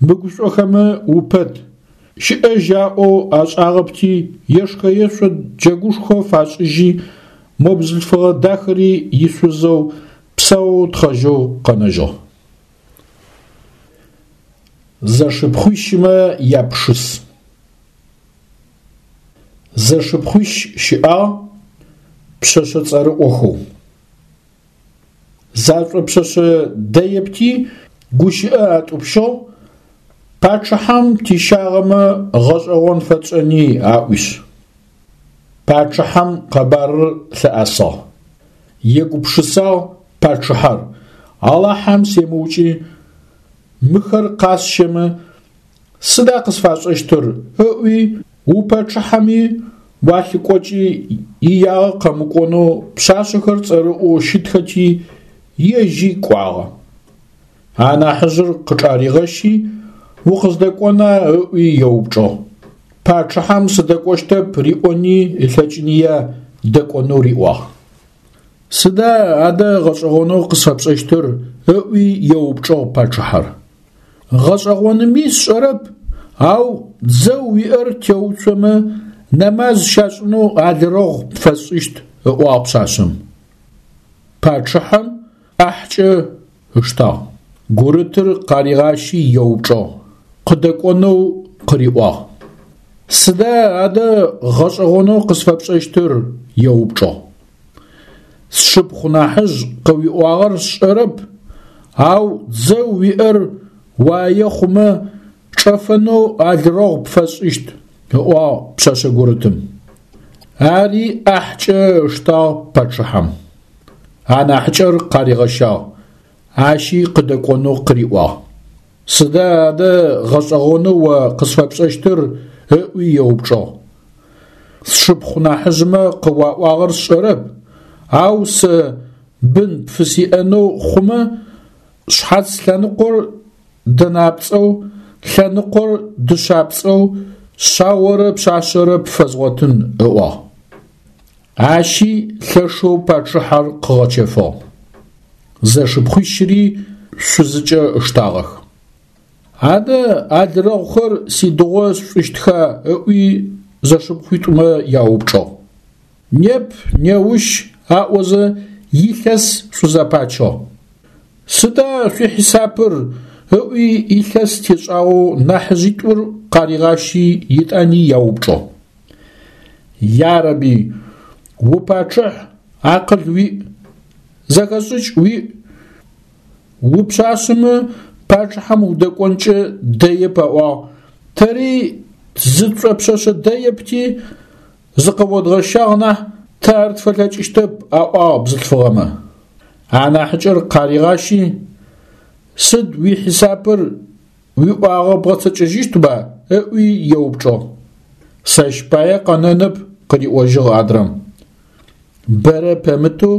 Speaker 1: мыгушӏохэмэ упэт, щыӏэжь аӏоу ашӏагъэпти, ешхэ-ешъо джэгушхо фашӏыжьи, мо бзылъфыгъэ дахэри ишъузэу псаоу тхъэжьэу къэнэжьыгъ. Зэшыпхъуищымэ япшыс. Зэшыпхъуищ щыӏагъ пшъэшъэ цӏэрыӏохэу. Зашӏопшъэшъэ дэепти гущыӏэ атӏупщыгъ, пачъыхьэм тищагъэмэ гъэшӏэгъон фэтшӏэни аӏуишъ. Пачъыхьэм къэбарыр лъыӏэсыгъ. Егупшысагъ пачъыхьэр, Алахьэм семыукӏи, мыхэр къасщэмэ, сыда къысфашӏэщтыр ыӏуи, упачъыхьэми уалъыкӏокӏи иягъэ къэмыкӏонэу пшъашъэхэр цӏэрыӏоу щытхэти, ежьи кӏуагъэ. Анахьыжъыр къычӏаригъэщи, укъыздэкӏона ыӏуи еупчӏыгъ. Пачъыхьэм сыдэкӏощтэп риӏони ылъэкӏыныя дэкӏонэу риӏуагъ. Сыда адэ гъэшӏэгъонэу къысфэпшӏэщтыр? ыӏуи еупчӏыгъ пачъыхьэр. Гъэшӏэгъоными сшӏэрэп, ау дзэу уиӏэр теуцомэ нэмаз щашӏынэу алырэгъу пфэсшӏыщт, ыӏуагъ пшъашъэм. Пачъыхьэм ӏахькӏэ ыштагъ. Гурытыр къаригъащи еупчӏыгъ, къыдэкӏонэу къыриӏуагъ. Сыда адэ гъэшӏэгъонэу къысфэпшӏэщтыр? еупчӏыгъ. Сшыпхъу нахьыжъ къыуиӏуагъэр сшӏэрэп, ау дзэу уиӏэр уае хъумэ, чӏэфэнэу алырэгъу пфэсшӏыщт, ыӏуагъ пшъэшъэ гурытым. Ари ӏахькӏэ ыштагъ пачъыхьэм. Анахьыкӏэр къаригъэщагъ, ащи къыдэкӏонэу къыриӏуагъ. Сыда адэ гъэшӏэгъонэу о къысфэпшӏэщтыр? ыӏуи еупчӏыгъ. Сшыпхъу нахьыжъмэ къыуаӏуагъэр сшӏэрэп, ау сэ бын пфысиӏэнэу хъумэ, шъхьац лъэныкъор дэнапцӏэу, лъэныкъор дышъапцӏэу шъаорэ пшъашъэрэ пфэзгъотын, ыӏуагъ. Ащи лъэшэу пачъыхьэр къыгъэчэфыгъ. Зэшыпхъуищыри шъузыкӏэ ыштагъэх. Адэ алырэгъухэр сидыгъо сшӏыщтха? ыӏуи зэшыпхъуитӏумэ яупчӏыгъ. Неп, неущ аӏозэ илъэс шъузэпачыгъ. Сыда шъуихьисапыр? ыӏуи илъэс тешӏагъэу нахьыжъитӏур къаригъащи етӏани яупчӏыгъ. Ярэби, упачъыхь, акъыл уиӏ, зэхэшӏыкӏ уиӏ, упшъашъэмэ пачъыхьэм удэкӏонкӏэ дэеп аӏуагъ, тэри зытшӏопшъэшъэ дэепти, зыкъыодгъэщагъ нахь, тэ ар тфэлъэкӏыщтэп, аӏуагъ бзылъфыгъэмэ. Анахьыкӏэр къаригъащи, сыд уихьисапыр, уиӏуагъэ бгъэцэкӏэжьыщтба? ыӏуи еупчӏыгъ. Сэщ пае къэнэнэп, къыриӏожьыгъ адрэм. Бэрэ пэмытэу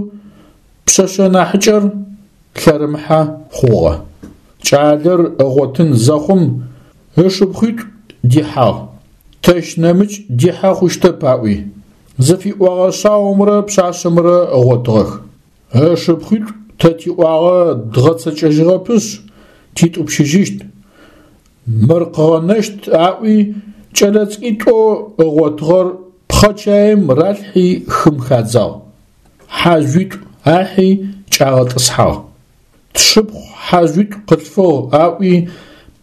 Speaker 1: пшъэшъэ нахьыкӏэр лъэрымыхьэ хъугъэ. Кӏалэр ыгъотын зэхъум ышыпхъуитӏу дихьагъ, тэщ нэмыкӏ дихьэ хъущтэп аӏуи, зыфиӏогъэ шъаомрэ пшъашъэмрэ ыгъотыгъэх. Ышыпхъуитӏу тэ тиӏуагъэ дгъэцэкӏэжьыгъэпышъ, титӏупщыжьыщт, мыр къыгъэнэщт аӏуи, кӏэлэцӏыкӏуитӏоу ыгъотыгъэр пхъэчаим ралъхьи хым хадзагъ. Хьажъуитӏу ахьи кӏагъэтӏысхьагъ. Тшыпхъу хьажъуитӏу къылъфыгъ аӏуи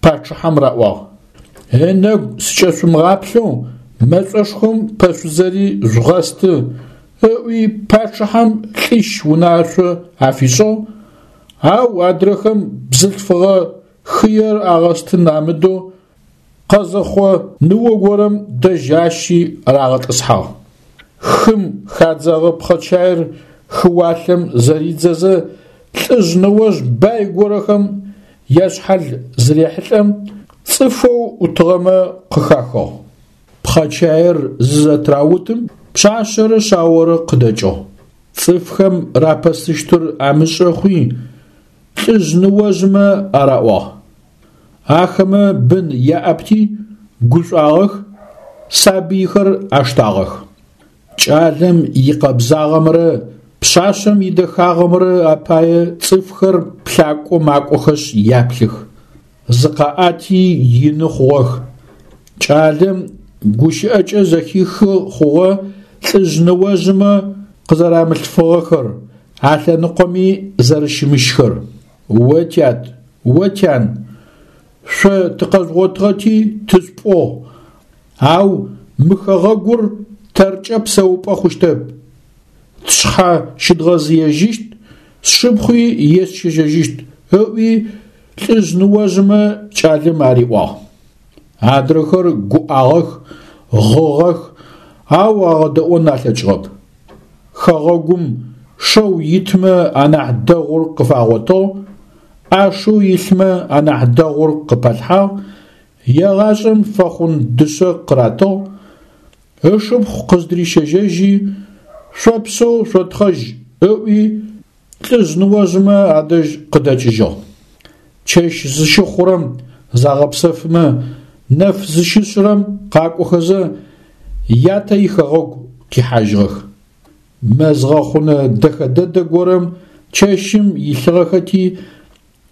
Speaker 1: пачъыхьэм раӏуагъ. Ынэгу сыкӏэшъумыгъаплъэу мэшӏошхом пэшъузэри жъугъэсты, ыӏуи пачъыхьэм лӏищ унашъо афишӏыгъ, ау адрэхэм бзылъфыгъэ хыер агъэстын амыдэу къэзэхъо ныо горэм дэжь ащи рагъэтӏысхьагъ. Хым хадзэгъэ пхъэчаир хыуалъэм зэридзэзэ лӏыжъ ныожъ бай горэхэм яшъхьал зырехьылӏэм, цӏыфэу ӏутыгъэмэ къыхахыгъ. Пхъэчаир зызэтраутым, пшъашъэрэ шъаорэ къыдэкӏыгъ. Цӏыфхэм рапэсыщтыр амышӏэ хъуи, лӏыжъ ныожъмэ араӏуагъ. Ахэмэ бын яӏэпти, гушӏуагъэх, сабыйхэр аштагъэх. Кӏалэм икъэбзагъэмрэ пшъашъэм идэхагъэмрэ апае цӏыфхэр плъакӏо макӏохэшъ яплъых. Зыкъаӏэти ины хъугъэх. Кӏалэм гущыӏэкӏэ зэхихы хъугъэ лӏыжъ ныожъмэ къызэрамылъфыгъэхэр, а лъэныкъоми зэрэщымыщхэр. О тят, о тян, шъо тыкъэжъугъотыгъэти тышъупӏугъ, ау мы хэгъэгур тэркӏэ псэупӏэ хъущтэп. Тшъхьэ щыдгъэзыежьыщт, сшыпхъуи есщэжьэжьыщт, ыӏуи лӏыжъ ныожъмэ кӏалэм ариӏуагъ. Адрэхэр гуӏагъэх, гъыгъэх, ау агъэдэӏон алъэкӏыгъэп. Хэгъэгум шэу итмэ анахь дэгъур къыфагъотыгъ, ӏашэу илъмэ анахь дэгъур къыпалъхьагъ, егъашӏэм фэхъун дышъэ къыратыгъ, ышыпхъу къыздырищэжьэжьи, шъопсэу шъотхъэжь ыӏуи, лӏыжъ ныожъмэ адэжь къыдэкӏыжьыгъ. Чэщ зыщыхъурэм загъэпсэфымэ, нэф зыщышъырэм къакӏохэзэ, ятэ ихэгъэгу къихьажьыгъэх. Мэз гъэхъунэ дэхэ дэдэ горэм чэщым илъыгъэхэти,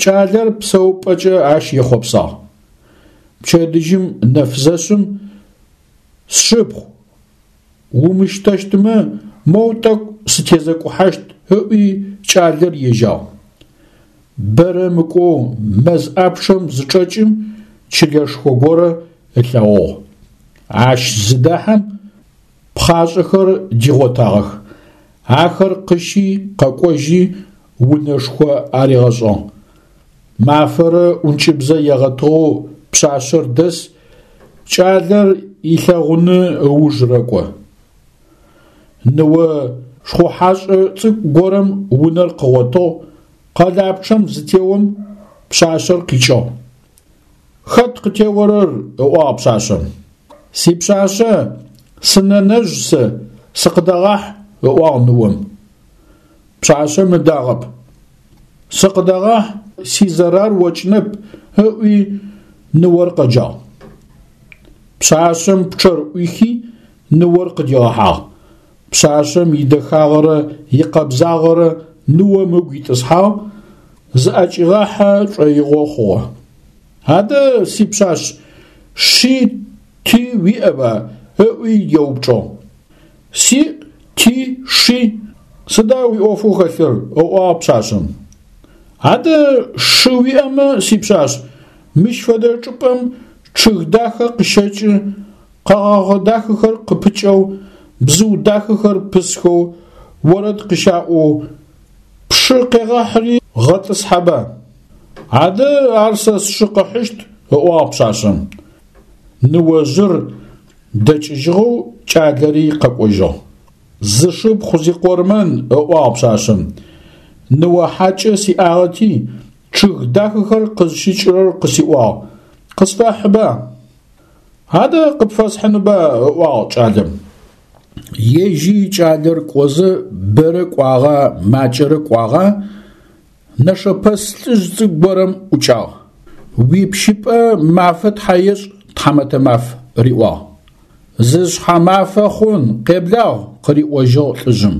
Speaker 1: кӏалэр псэупӏэкӏэ ащ ехъопсагъ. Пчэдыжьым нэф зэшъым, сшыпхъу, умыщтэщтмэ, моу тӏэкӏу сытезэкӏухьащт ыӏуи кӏалэр ежьагъ. Бэрэ мыкӏоу мэз ӏапчъэм зычӏэкӏым чылэшхо горэ ылъэгъугъ. Ащ зыдахьэм пхъашӏэхэр дигъотагъэх. Ахэр къыщи къэкӏожьи унэшхо аригъэшӏыгъ. Мафэрэ ӏункӏыбзэ егъэтыгъэу пшъашъэр дэс. Кӏалэр илъэгъуны ыуж рэкӏо. Ныо шхъухьашӏэ цӏыкӏу горэм унэр къыгъотыгъ, къэлапчъэм зытеом, пшъашъэр къикӏыгъ. Хэт къытеорэр? ыӏуагъ пшъашъэм. Сипшъашъэ, сынэнэжъ сэ, сыкъыдэгъахь, ыӏуагъ ныом. Пшъашъэм ыдагъэп. Сыкъыдэгъахь, сизэрар окӏынэп, ыӏуи ныор къэджагъ. Пшъашъэм пчъэр ӏуихи, ныор къыдигъэхьагъ. Пшъашъэм идэхагъэрэ икъэбзагъэрэ ныом ыгу итӏысхьагъ, зыӏэкӏигъахьэ шӏоигъо хъугъэ. Адэ, сипшъашъ, ши ти уиӏэба? ыӏуи еупчӏыгъ. Сиӏ, ти, ши, сыда уиӏофэу хэлъыр? ыӏуагъ пшъашъэм. Адэ шы уиӏэмэ, сипшъашъ, мыщ фэдэ чӏыпӏэм чъыг дахэ къыщэкӏы, къэгъэгъэ дахэхэр къыпыкӏэу, бзыу дахэхэр пысхэу, орэд къыщаӏоу, пшы къегъэхьыри гъэтӏысхьэба. Адэ ар сэ сшы къыхьыщт, ыӏуагъ пшъашъэм. Ныожъыр дэкӏыжьыгъэу кӏалэри къэкӏожьыгъ. Зышыпхъу зикъормэн, ыӏуагъ пшъашъэм, ныо хьакӏэ сиӏагъэти, чъыг дахэхэр къызщыкӏырэр къысиӏуагъ, къысфэхьыба? Адэ къыпфэсхьынба, ыӏуагъ кӏалэм. Ежьи кӏалэр кӏозэ бэрэ кӏуагъа, макӏэрэ кӏуагъа, Нэшэпэс лӏыжъ цӏыкӏу горэм ӏукӏагъ. Уипщыпӏэ мафэ тхьэ ешӏ, тхьамэтэ маф, риӏуагъ. Жъышъхьэ мафэ хъун, къеблагъ, къыриӏожьыгъ лӏыжъым.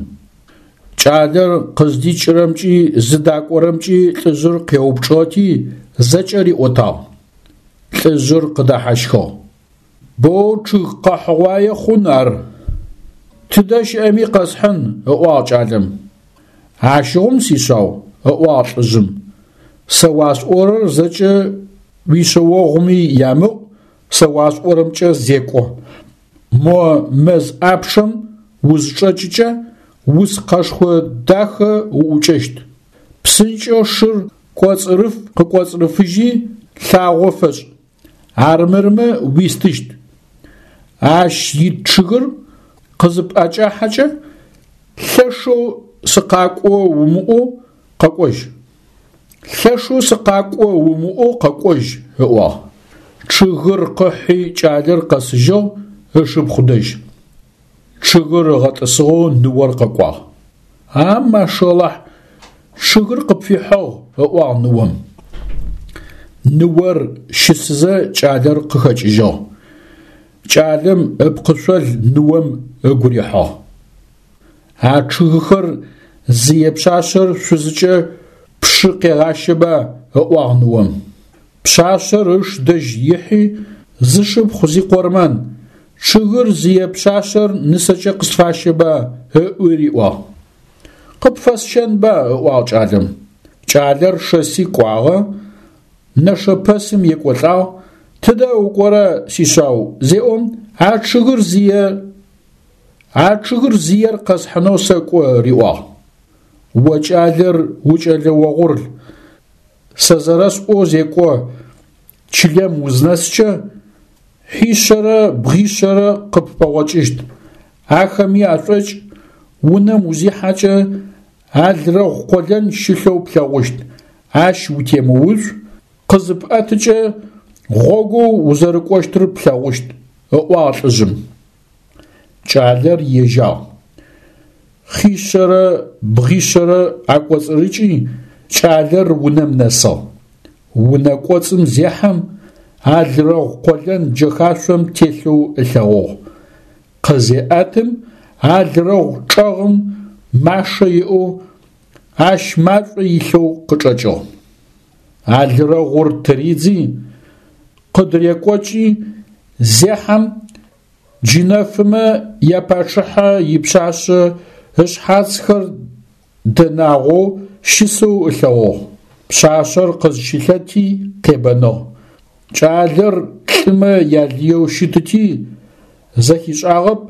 Speaker 1: Кӏалэр къыздикӏырэмкӏи зыдакӏорэмкӏи лӏыжъыр къеупчӏыгъэти, зэкӏэ риӏотагъ. Лӏыжъыр къыдэхьащхыгъ. Боу чъыг къэхьыгъуае хъун ар. Тыдэ щыӏэми къэсхьын, ыӏуагъ кӏалэм. Ащыгъум, сишъау, ыӏуагъ лӏыжъым, сэ уасӏорэр зэкӏэ уишъэогъуми ямыӏу, сэ уасӏорэмкӏэ зекӏо. Мо мэз ӏапчъэм узычӏэкӏыкӏэ, уц къэшхо дахэ уӏукӏэщт. Псынкӏэу шыр кӏоцӏырыф къыкӏоцӏырыфыжьи, лъагъо фэшӏ. Армырмэ уистыщт. Ащ ит чъыгыр къызыпӏэкӏахьэкӏэ, лъэшэу сыкъакӏо умыӏоу къэкӏожь. Лъэшэу сыкъакӏо умыӏоу къэкӏожь, ыӏуагъ. Чъыгыр къыхьи кӏалэр къэсыжьыгъ ышыпхъу дэжь. Чъыгыр ыгъэтӏысыгъэу ныор къэкӏуагъ. А машалахь, чъыгыр къыпфихьыгъ, ыӏуагъ ныом. Ныор щысызэ кӏалэр къыхэкӏыжьыгъ. Кӏалэм ыпкъышъол ныом ыгу рихьыгъ. А чъыгыхэр зые пшъашъэр шъузыкӏэ пшы къегъащэба, ыӏуагъ ныом. Пшъашъэр ыш дэжь ихьи, зышыпхъу зикъормэн, чъыгыр зые пшъашъэр нысэкӏэ къысфащэба, ыӏуи риӏуагъ. Къыпфэсщэнба, ыӏуагъ кӏалэм. Кӏалэр шэси кӏуагъэ, нэшэпэсым екӏолӏагъ, тыдэ укӏорэ, сишъау, зеӏом, а чъыгыр зые а чъыгыр зыер къэсхьынэу сэкӏо, риӏуагъ. О кӏалэр укӏэлэ огъурл, Сэ зэрэсӏоу зекӏо, чылэм узнэскӏэ, хьишъэрэ бгъишъэрэ къыппэгъокӏыщт, ахэми ашӏокӏ, унэм узихьэкӏэ, алрэгъу къолэн щылъэу плъэгъущт, ащ утемыуцу, къызыпӏэтыкӏэ, гъогоу узэрыкӏощтыр плъэгъущт, ыӏуагъ лӏыжъым. Кӏалэр ежьагъ. Хъишъэрэ бгъишъэрэ акӏоцӏырыкӏи, кӏалэр унэм нэсыгъ. Унэ кӏоцӏым зехьэм, алрэгъу къолэн джэхашъом телъэу ылъэгъугъ. Къызеӏэтым, алрэгъу чӏэгъым машэ иӏэу, ащ машӏо илъэу къычӏэкӏыгъ. Алрэгъур тыридзи, къыдырекӏокӏи, зехьэм, Джынэфымэ япачъыхьэ ипшъашъэ ышъхьацхэр дэнагъоу щысэу ылъэгъугъ. Пшъашъэр къызщылъэти къебэныгъ. Кӏалэр лӏымэ ялыеу щытыти, зэхишӏагъэп,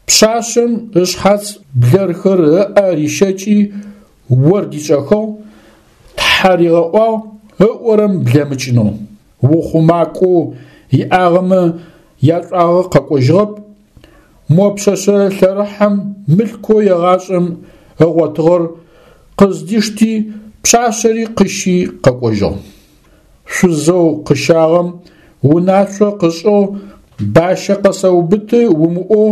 Speaker 1: пшъашъэм ышъхьац блэрхэр ыӏэ рищэкӏи ор дишӏэхыгъ, тхьэ ригъэӏуагъ ыӏорэм блэмыкӏынэу. Ухъумакӏоу иӏагъэмэ яшӏуагъэ къэкӏожьыгъэп, мо пшъэшъэ лъэрыхьэм мылъкоу егъашӏэм ыгъотыгъэр къыздишти, пшъашъэри къыщи къэкӏожьыгъ. Шъузэу къыщагъэм унашъо къышӏыгъ бащэ къэсэубыты умыӏоу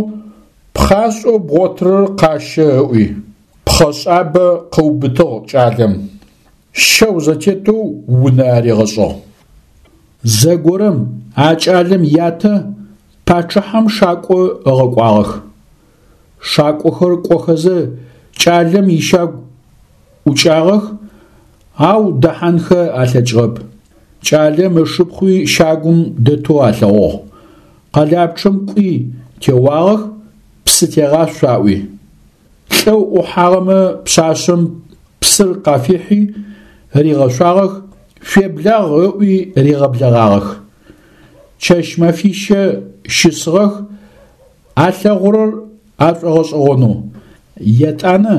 Speaker 1: пхъашӏэу бгъотырэр къащэ ыӏуи. Пхъэшӏабэ къыубытыгъ кӏалэм, щэу зэтетэу унэ аригъэшӏыгъ. Зэгорэм а кӏалэм ятэ пачъыхьэм шакӏо ыгъэкӏуагъэх. Шакӏохэр кӏохэзэ кӏалэм ищагу ӏукӏагъэх, ау дэхьанхэ алъэкӏыгъэп. Кӏалэм ышыпхъуи щагум дэтэу алъэгъугъ. Къэлапчъэм кӏуи теуагъэх, псы тегъашъу аӏуи. Лӏэу ӏухьагъэмэ пшъашъэм псыр къафихьи, ригъэшъуагъэх, шъуеблагъ ыӏуи ригъэблэгъагъэх. Чэщ-мэфищэ щысыгъэх, алъэгъурэр ашӏогъэшӏэгъонэу. Етӏанэ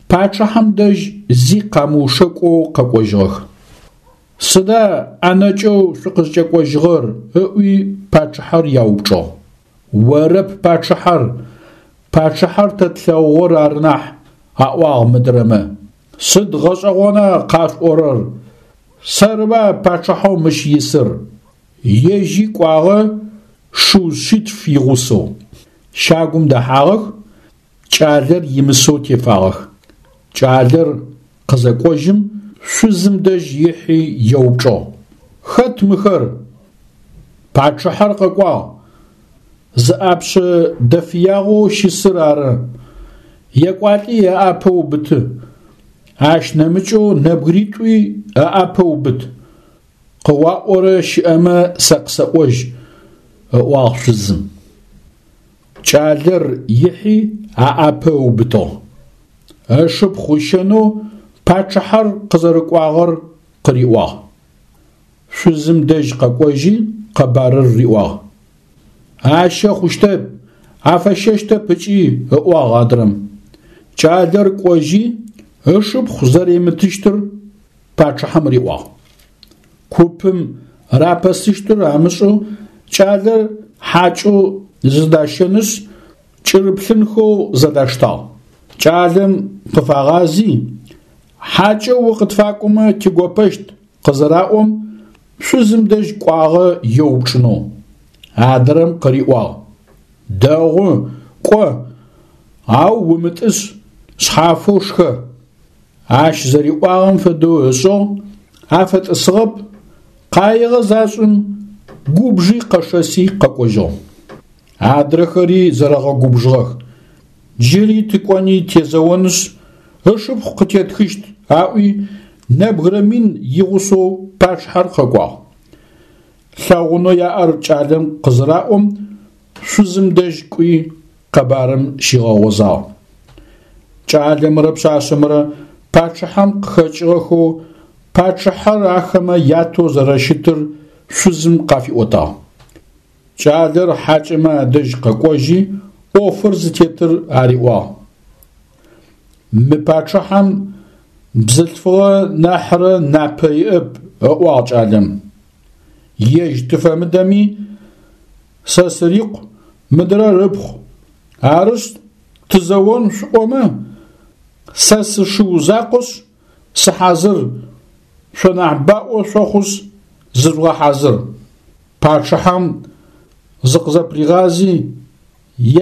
Speaker 1: пачъыхьэм дэжь зи къамыушэкӏоу къэкӏожьыгъэх. Сыда ӏэнэкӏэу шъукъызкӏэкӏожьыгъэр? ыӏуи пачъыхьэр яупчӏыгъ. Орэп пачъыхьэр, пачъыхьэр тэ тлъэгъугъэр ары нахь, аӏуагъ мыдрэмэ. Сыд гъэшӏэгъона къашъуӏорэр? Сэрыба пачъыхьэу мыщ исыр? Ежьи кӏуагъэ шыу шъитф игъусэу. Щагум дэхьагъэх, кӏалэр имысэу тефагъэх. Кӏалэр къызэкӏожьым, шъузым дэжь ихьи еупчӏыгъ: Хэт мыхэр? Пачъыхьэр къэкӏуагъ. Зыӏапшъэ дэфыягъэу щысыр ары. Екӏуалӏи ыӏапэ убыты. Ащ нэмыкӏэу нэбгыритӏуи ыӏапэ убыт. Къыуаӏорэ щыӏэмэ сэ къысэӏожь, ыӏуагъ шъузым. Кӏалэр ихьи аӏапэ ыубытыгъ. Ышыпхъу ыщэнэу пачъыхьэр къызэрыкӏуагъэр къыриӏуагъ. Шъузым дэжь къэкӏожьи къэбарыр риӏуагъ. Ащэ хъущтэп, афэщэщтэп ыкӏи, ыӏуагъ адрэм. Кӏалэр кӏожьи ышыпхъу зэримытыщтыр пачъыхьэм риӏуагъ. Купым рапэсыщтыр амышӏэу кӏалэр хьакӏэу зыдащэнышъ, кӏырыплъынхэу зэдаштагъ. Кӏалэм къыфагъази, хьакӏэу укъытфакӏомэ тигопэщт къызыраӏом, шъузым дэжь кӏуагъэ еупчӏынэу. Адрэм къыриӏуагъ: Дэгъу, кӏо, ау умытӏыс, шъхьафэу шхэ. Ащ зэриӏуагъэм фэдэу ышӏыгъ, афэтӏысыгъэп, къаигъэ зашӏым, губжи къэшэси къэкӏожьыгъ. Адрэхэри зэрэгъэгубжыгъэх. Джыри тыкӏони тезэонышъ, ышыпхъу къытетхыщт, аӏуи, нэбгырэ мин игъусэу пачъыхьэр къэкӏуагъ. Лъэгъунэу яӏэр кӏалэм къызыраӏом, шъузым дэжь кӏуи къэбарым щигъэгъозагъ. Кӏалэмрэ пшъашъэмрэ пачъыхьэм къыхэкӏыгъэхэу пачъыхьэр ахэмэ ятэу зэрэщытыр шъузым къафиӏотагъ. Кӏалэр хьакӏэмэ адэжь къэкӏожьи, ӏофыр зытетыр ариӏуагъ. Мы пачъыхьэм бзылъфыгъэ нахьрэ напэ иӏэп, ыӏуагъ кӏалэм. Ежь тыфэмыдэми, сэ сырикъу, мыдрэр ыпхъу. Арышъ, тызэон шъуӏомэ, сэ сышыу закъошъ, сыхьазыр, шъо нахь баӏо шъохъушъ, зыжъугъэхьазыр. Пачъыхьэм зыкъызэпригъази,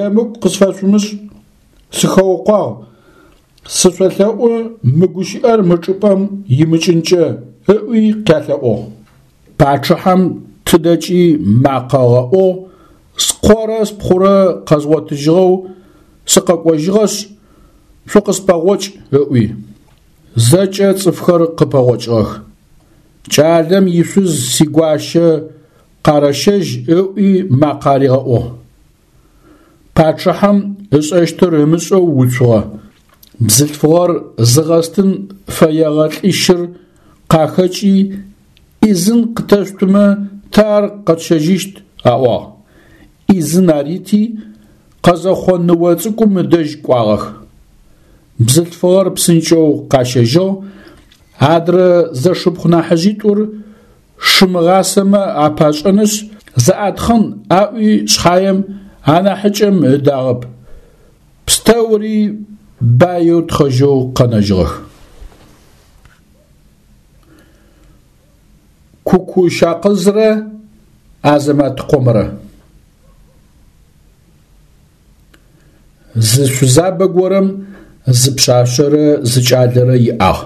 Speaker 1: емыкӏу къысфэшъумышӏ, сыхэукъуагъ, сышъолъэӏу мы гущыӏэр мы чӏыпӏэм имыкӏынкӏэ, ыӏуи къялъэӏугъ. Пачъыхьэм тыдэкӏи макъэ ыгъэӏугъ, скъорэ спхъурэ къэзгъотыжьыгъэу сыкъэкӏожьыгъэшъ, шъукъыспэгъокӏ, ыӏуи. Зэкӏэ цӏыфхэр къыпэгъокӏыгъэх. Кӏалэм ишъуз сигуащэ къарэщэжь ыӏуи макъэ аригъэӏугъ. Пачъыхьэм ышӏэщтыр ымышӏэу уцугъэ. Бзылъфыгъэр зыгъэстын фэегъэ лӏищыр къахэкӏи, ӏизын къытэшъутымэ, тэ ар къэтщэжьыщт, аӏуагъ. ӏизын арити, къэзэхъо ныо цӏыкӏум ыдэжь кӏуагъэх. Бзылъфыгъэр псынкӏэу къащэжьыгъ, адрэ зэшыпхъу нахьыжъитӏур шы мыгъасэмэ апашӏэнышъ, зэӏатхъын аӏуи шъхьаем, анахьыкӏэм ыдагъэп. Пстэури баеу тхъэжьэу къэнэжьыгъэх. Куку-Жакъызрэ Азэматкъомрэ. Зы шъузабэ горэм зы пшъашъэрэ зы кӏалэрэ иӏагъ.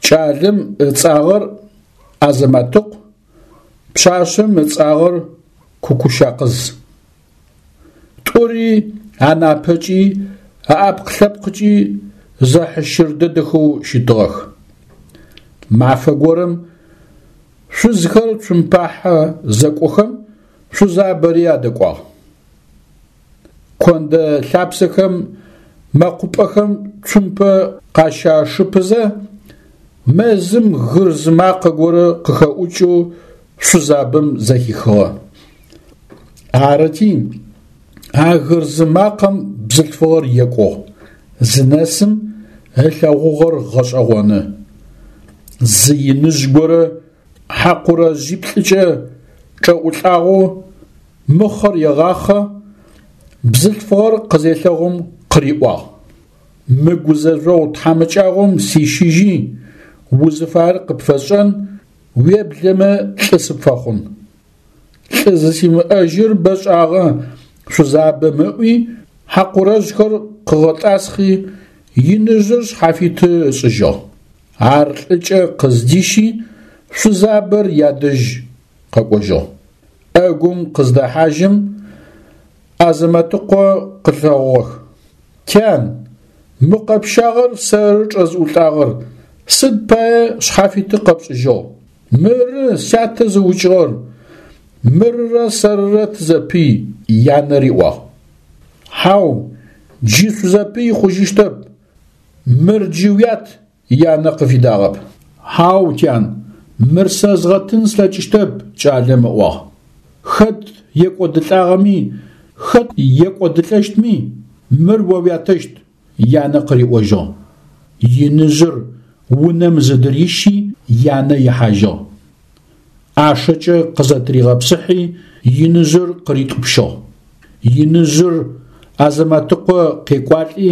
Speaker 1: Кӏалэм ыцӏагъэр Азэматыкъу, пшъашъэм ыцӏагъэр Кукушакъыз. Тӏури анапэкӏи аӏэпкъ-лъэпкъкӏи зэхьыщыр дэдэхэу щытыгъэх. Мафэ горэм шъузхэр цумпахьэ зэкӏохэм шъузабэри адэкӏуагъ. Кондэ лъапсэхэм мэкъупӏэхэм цумпэ къащашыпызэ, мэзым гырз макъэ горэ къыхэӏукӏэу шъузабэм зэхихыгъэ. Арыти, а гырз макъэм бзылъфыгъэр екӏугъ, зынэсым ылъэгъугъэр гъэшӏэгъоны. Зы иныжъ горэ хьакъурэжъиплӏыкӏэ чӏэӏулӏагъэу мыхъэр егъахъэ, бзылъфыгъэр къызелъэгъум къыриӏуагъ: Мы гузэжъогъу тхьамыкӏагъом сищыжьи, узыфаер къыпфэсшӏэн, уеблэмэ лӏы сыпфэхъун. Лӏы зысимыӏэжьыр бэшӏагъэ, шъузабэм ыӏуи, хьакъурэжъхэр къыгъэтӏасхъи, иныжъыр шъхьафиты ышӏыжьыгъ. Ар лӏыкӏэ къыздищи, шъузабэр ядэжь къэкӏожьыгъ. ӏэгум къыздэхьажьым, Азэматыкъо къылъэгъугъэх. Тян, мы къэпщагъэр сэры чӏэзыӏулӏагъэр, сыд пае шъхьафиты къэпшӏыжьыгъ? Мыры сятэ зыукӏыгъэр, мырырэ сэрырэ тызэпый, янэ риӏуагъ. Хьау, джы шъузэпый хъужьыщтэп, мыр джы уят, янэ къыфидагъэп. Хьау, тян, мыр сэ згъэтын слъэкӏыщтэп, кӏалэм ыӏуагъ. Хэт екӏодылӏагъэми, хэт екӏодылӏэщтми, мыр о уятэщт, янэ къыриӏожьыгъ. Иныжъыр унэм зыдырищи, янэ ихьажьыгъ. ӏашэкӏэ къызэтыригъэпсыхьи, иныжъыр къыритӏупщыгъ. Иныжъыр Азэматыкъо къекӏуалӏи,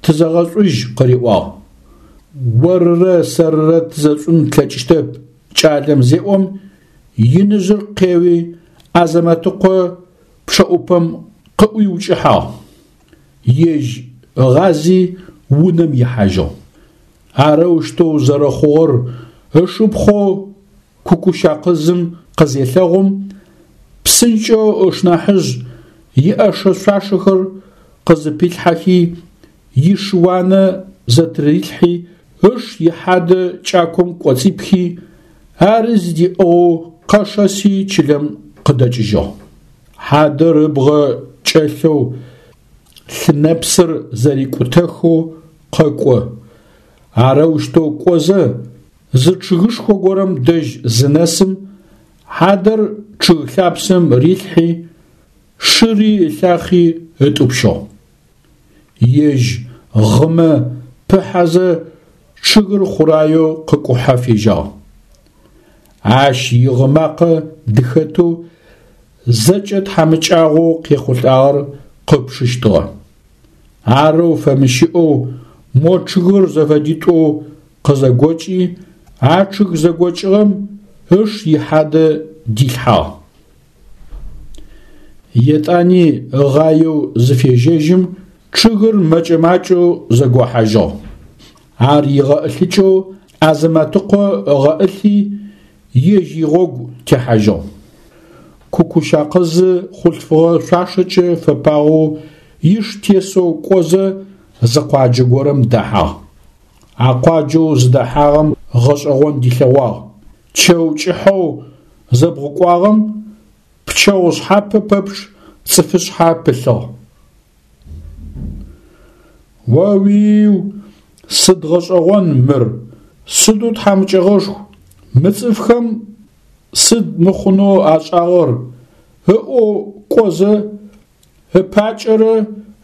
Speaker 1: тызэгъэшӏужь къыриӏуагъ. Орырэ сэрырэ тызэшӏун тлъэкӏыщтэп, кӏалэм зеӏом, иныжъыр къеуи, Азэматыкъо пчъэӏупэм къыӏуиукӏыхьагъ. Ежь ыгъази унэм ихьажьыгъ. Арэущтэу зэрэхъугъэр ышыпхъоу Кукушакъызым къызелъэгъум, псынкӏэу ышнахьыжъ иӏэшэ-шъуашэхэр къызыпилъхьэхи, ишыуанэ зэтырилъхьи, ыш ихьадэ кӏаком кӏоцӏипхи, ари зыдиӏыгъэу къэшэси чылэм къыдэкӏыжьыгъ. Хьадэр ыбгъэ кӏэлъэу лъынэпсыр зэрикӏутэхэу къэкӏо. Арэущтэу кӏозэ, зы чъыгышхо горэм дэжь зынэсым, хьадэр чъыг лъапсэм рилъхьи, шыри ылъахъи ытӏупщыгъ. Ежь гъымэ пыхьэзэ чъыгыр хъураеу къыкӏухьэ фежьагъ. Ащ игъы макъэ дыхэтэу зэкӏэ тхьамыкӏагъоу къехъулӏагъэр къыпчъыщтыгъэ. Арэу фэмыщыӏэу мо чъыгыр зэфэдитӏоу къызэгокӏи, а чъыг зэгокӏыгъэм ыш ихьадэ дилъхьагъ. Етӏани ыгъаеу зыфежьэжьым, чъыгыр мэкӏэ-макӏэу зэгохьажьыгъ. Ар игъэӏылъыкӏэу Азэматыкъо ыгъэӏылъи, ежь игъогу техьажьыгъ. Кукушакъызы хъулъфыгъэ шъуашэкӏэ фэпагъэу иш тесэу кӏозэ зы къуаджэ горэм дэхьагъ. А къуаджэу зыдэхьагъэм гъэшӏэгъон дилъэгъуагъ. Чэу кӏыхьэу зэбгъукӏуагъэм пчэгъу шъхьапэ пэпчъ цӏыфышъхьэ пылъыгъ. О-уиу, сыд гъэшӏэгъон мыр, сыдэу тхьамыкӏэгъошху, мы цӏыфхэм сыд мыхъунэу ашӏагъэр, ыӏоу кӏозэ, ыпакӏэрэ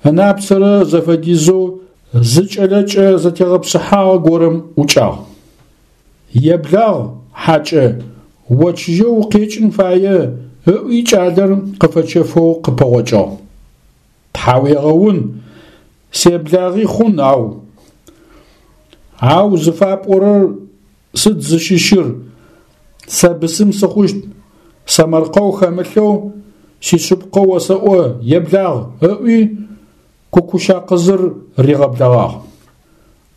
Speaker 1: ынапцэрэ зэфэдизэу зы кӏэлэкӏэ зэтегъэпсыхьагъэ горэм ӏукӏагъ. Еблагъ, хьакӏэ, О чыжьэу укъекӏын фае, ыӏуи кӏалэр къыфэчэфэу къыпэгъокӏыгъ. Тхьауегъэун, себлагъи хъун, ау. Ау зыфапӏорэр сыд зыщыщыр, сэ бысым сыхъущт, сэмэркъэу хэмылъэу сишъыпкъэу осэӏо, еблагъ, ыӏуи Кукушакъызыр ригъэблэгъагъ.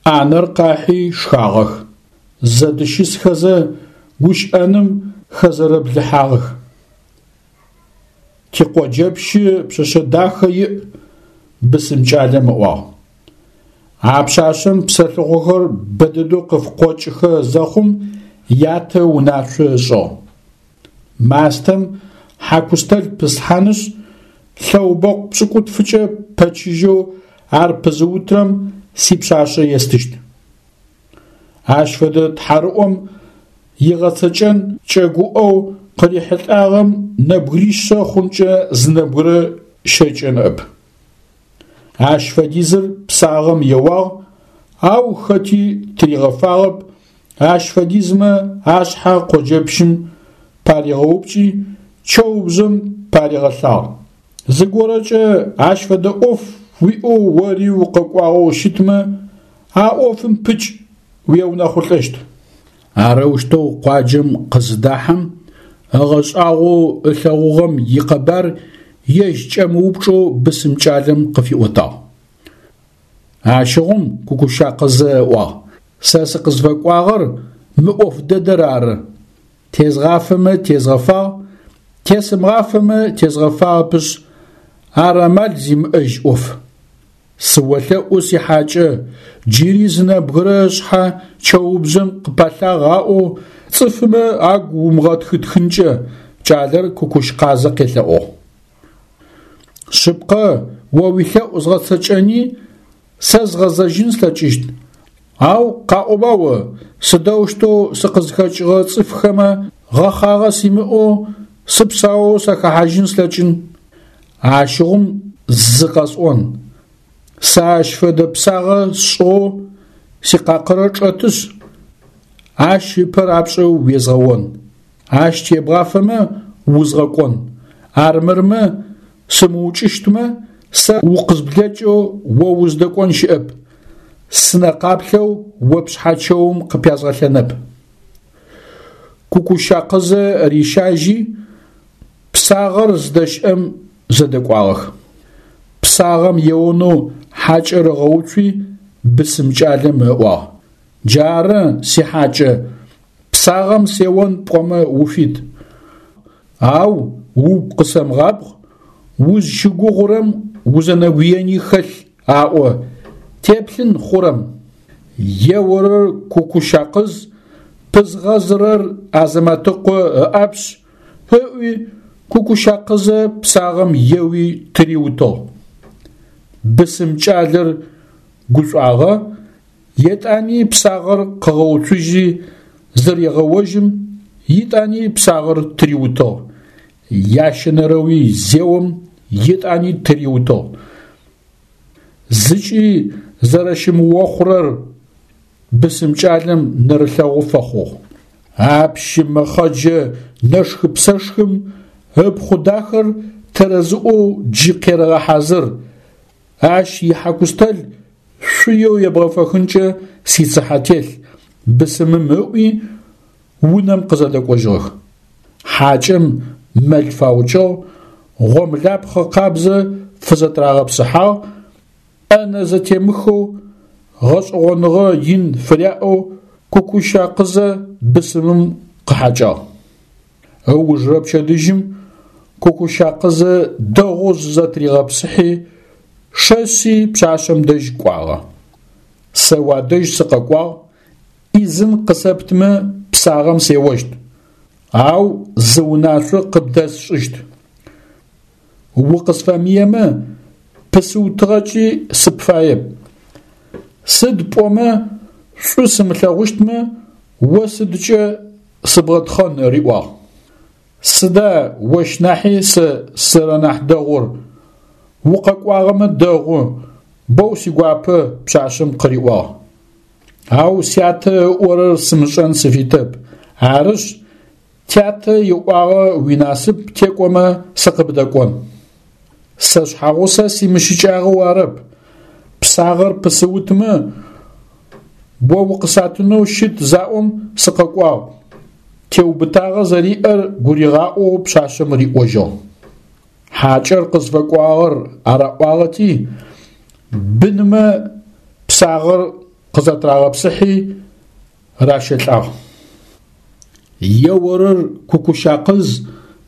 Speaker 1: ӏанэр къахьи шхагъэх. Зэдыщысхэзэ гущыӏэным хэзэрэблыхьагъэх. Тикъоджэпщы пшъэшъэ дахэ иӏ, бысым кӏалэм ыӏуагъ. А пшъашъэм псэлъыхъохэр бэдэдэу къыфкъокӏыхэ зэхъум ятэ унашъо ышӏыгъ. Мастэм хьакустэл пыслъхьанышъ, лъэубэкъу пшӏыкӏутфыкӏэ пэчыжьэу ар пызыутырэм сипшъашъэ естыщт. Ащ фэдэ тхьарыӏом игъэцэкӏэн кӏэгуӏэу къырихьылӏагъэм нэбгыришъэ хъункӏэ зы нэбгырэ щэкӏэ ныӏэп. Ащ фэдизыр псагъэм еуагъ, ау хэти тыригъэфагъэп, ащ фэдизмэ ашъхьэ къоджэпщым паригъэупкӏи, чэубжъэм паригъэлъагъ. Зыгорэкӏэ ащ фэдэ ӏоф уиӏэу ори укъэкӏуагъэу щытмэ, а ӏофым пыкӏ, уеунэхъулӏэщт. Арэущтэу къуаджэм къызыдахьэм, ыгъэшӏагъоу ылъэгъугъэм икъэбар ежь кӏэмыупчӏэу бысым кӏалэм къыфиӏотагъ. Ащыгъум Кукушакъызэ ыӏуагъ, Сэ сыкъызфэкӏуагъэр мы ӏоф дэдэр ары. Тезгъафэмэ тезгъэфагъ, тесымыгъафэмэ тезгъэфагъэпышъ, ар амал зимыӏэжь ӏоф. Сыолъэӏу, сихьакӏэ, джыри зы нэбгырэ ышъхьэ чэубжъэм къыпалъагъ аӏоу цӏыфымэ агу умыгъэтхытхынкӏэ, кӏалэр Кукушкъазэ къелъэӏугъ. Шъыпкъэ, о уилъэӏу згъэцэкӏэни, сэ згъэзэжьын слъэкӏыщт, ау къаӏоба о, сыдэущтэу сыкъызхэкӏыгъэ цӏыфхэмэ гъэхъагъэ симыӏэу сыпсаоу сахэхьажьын слъэкӏын? Ащыгъум зы къэсӏон, сэ ащ фэдэ псагъэ сшӏыгъэу сикъакъырэ чӏэтышъ, ащ ыпэ рапшӏэу уезгъэон. Ащ тебгъафэмэ, узгъэкӏон, армырмэ, сымыукӏыщтмэ, сэ укъызблэкӏэу о уздэкӏон щыӏэп, сынэ къаплъэу о пшъхьэ чэум къыпязгъэлъэнэп. Кукушакъызэ рищажьи, псагъэр зыдэщыӏэм зэдэкӏуагъэх. Псагъэм еонэу хьакӏэр ыгъэуцуи, бысым кӏалэм ыӏуагъ: Джары, сихьакӏэ, псагъэм сеон пӏомэ уфит. Ау угу къысэмыгъабгъ, узщыгугъурэм узэнэгуени хэлъ аӏо, теплъын хъурэм. Еорэр Кукушакъыз, пызгъэзырэр Азэматыкъо ыӏапшъ, ыӏуи Кукушакъызэ псагъэм еуи тыриутыгъ. Бысым кӏалэр гушӏуагъэ, Етӏани псагъэр къыгъэуцужьи зырегъэожьым, етӏани псагъэр тыриутыгъ. Ящэнэрэуи зеом, етӏани тыриутыгъ. Зыкӏи зэрэщымыохъурэр бысым кӏалэм нэрылъэгъу фэхъугъ. А пщы мэхъэджэ нэшхы-псэшхым ыпхъу дахэр тэрэзыӏоу джы къерэгъэхьазыр, ащ ихьакустэл шъуеу ебгъэфэхынкӏэ сицыхьэ телъ, бысымым ыӏуи, унэм къызэдэкӏожьыгъэх. Хьакӏэм мэл фаукӏыгъ, гъомлапхъэ къабзэ фызэтырагъэпсыхьагъ, ӏэнэ зэтемыхэу, гъэшӏэгъоныгъэ ин фыряӏэу Кукушакъызэ бысымым къыхьакӏагъ. Ыужырэ пчэдыжьым Кукушакъызэ дэгъоу зызэтыригъэпсыхьи, шэси пшъашъэм дэжь кӏуагъэ. Сэ уадэжь сыкъэкӏуагъ, ӏизын къысэптымэ псагъэм сеощт, ау зы унашъо къыбдэсшӏыщт. Укъысфэмыемэ, пысыутыгъэкӏи сыпфаеп. Сыд пӏомэ, шӏу сымылъэгъущтмэ, о сыдкӏэ сыбгъэтхъэн, риӏуагъ. Сыда ощ нахьи сэ сызэрэнахь дэгъур? Укъэкӏуагъэмэ дэгъу, боу сигуапэ, пшъашъэм къыриӏуагъ. Ау сятэ ыӏорэр сымышӏэн сыфитэп, арышъ, Тятэ иӏуагъэ уинасып текӏомэ сыкъыбдэкӏон. Сэ шъхьэгъусэ симыщыкӏагъэу арэп, псагъэр пысыутымэ, о укъысатынэу щыт заӏом сыкъэкӏуагъ, теубытагъэ зэриӏэр гуригъаӏоу пшъашъэм риӏожьыгъ. Хьакӏэр къызфэкӏуагъэр араӏуагъэти, бынымэ псагъэр къызэтырагъэпсыхьи ращэлӏагъ. Еорэр Кукушакъыз,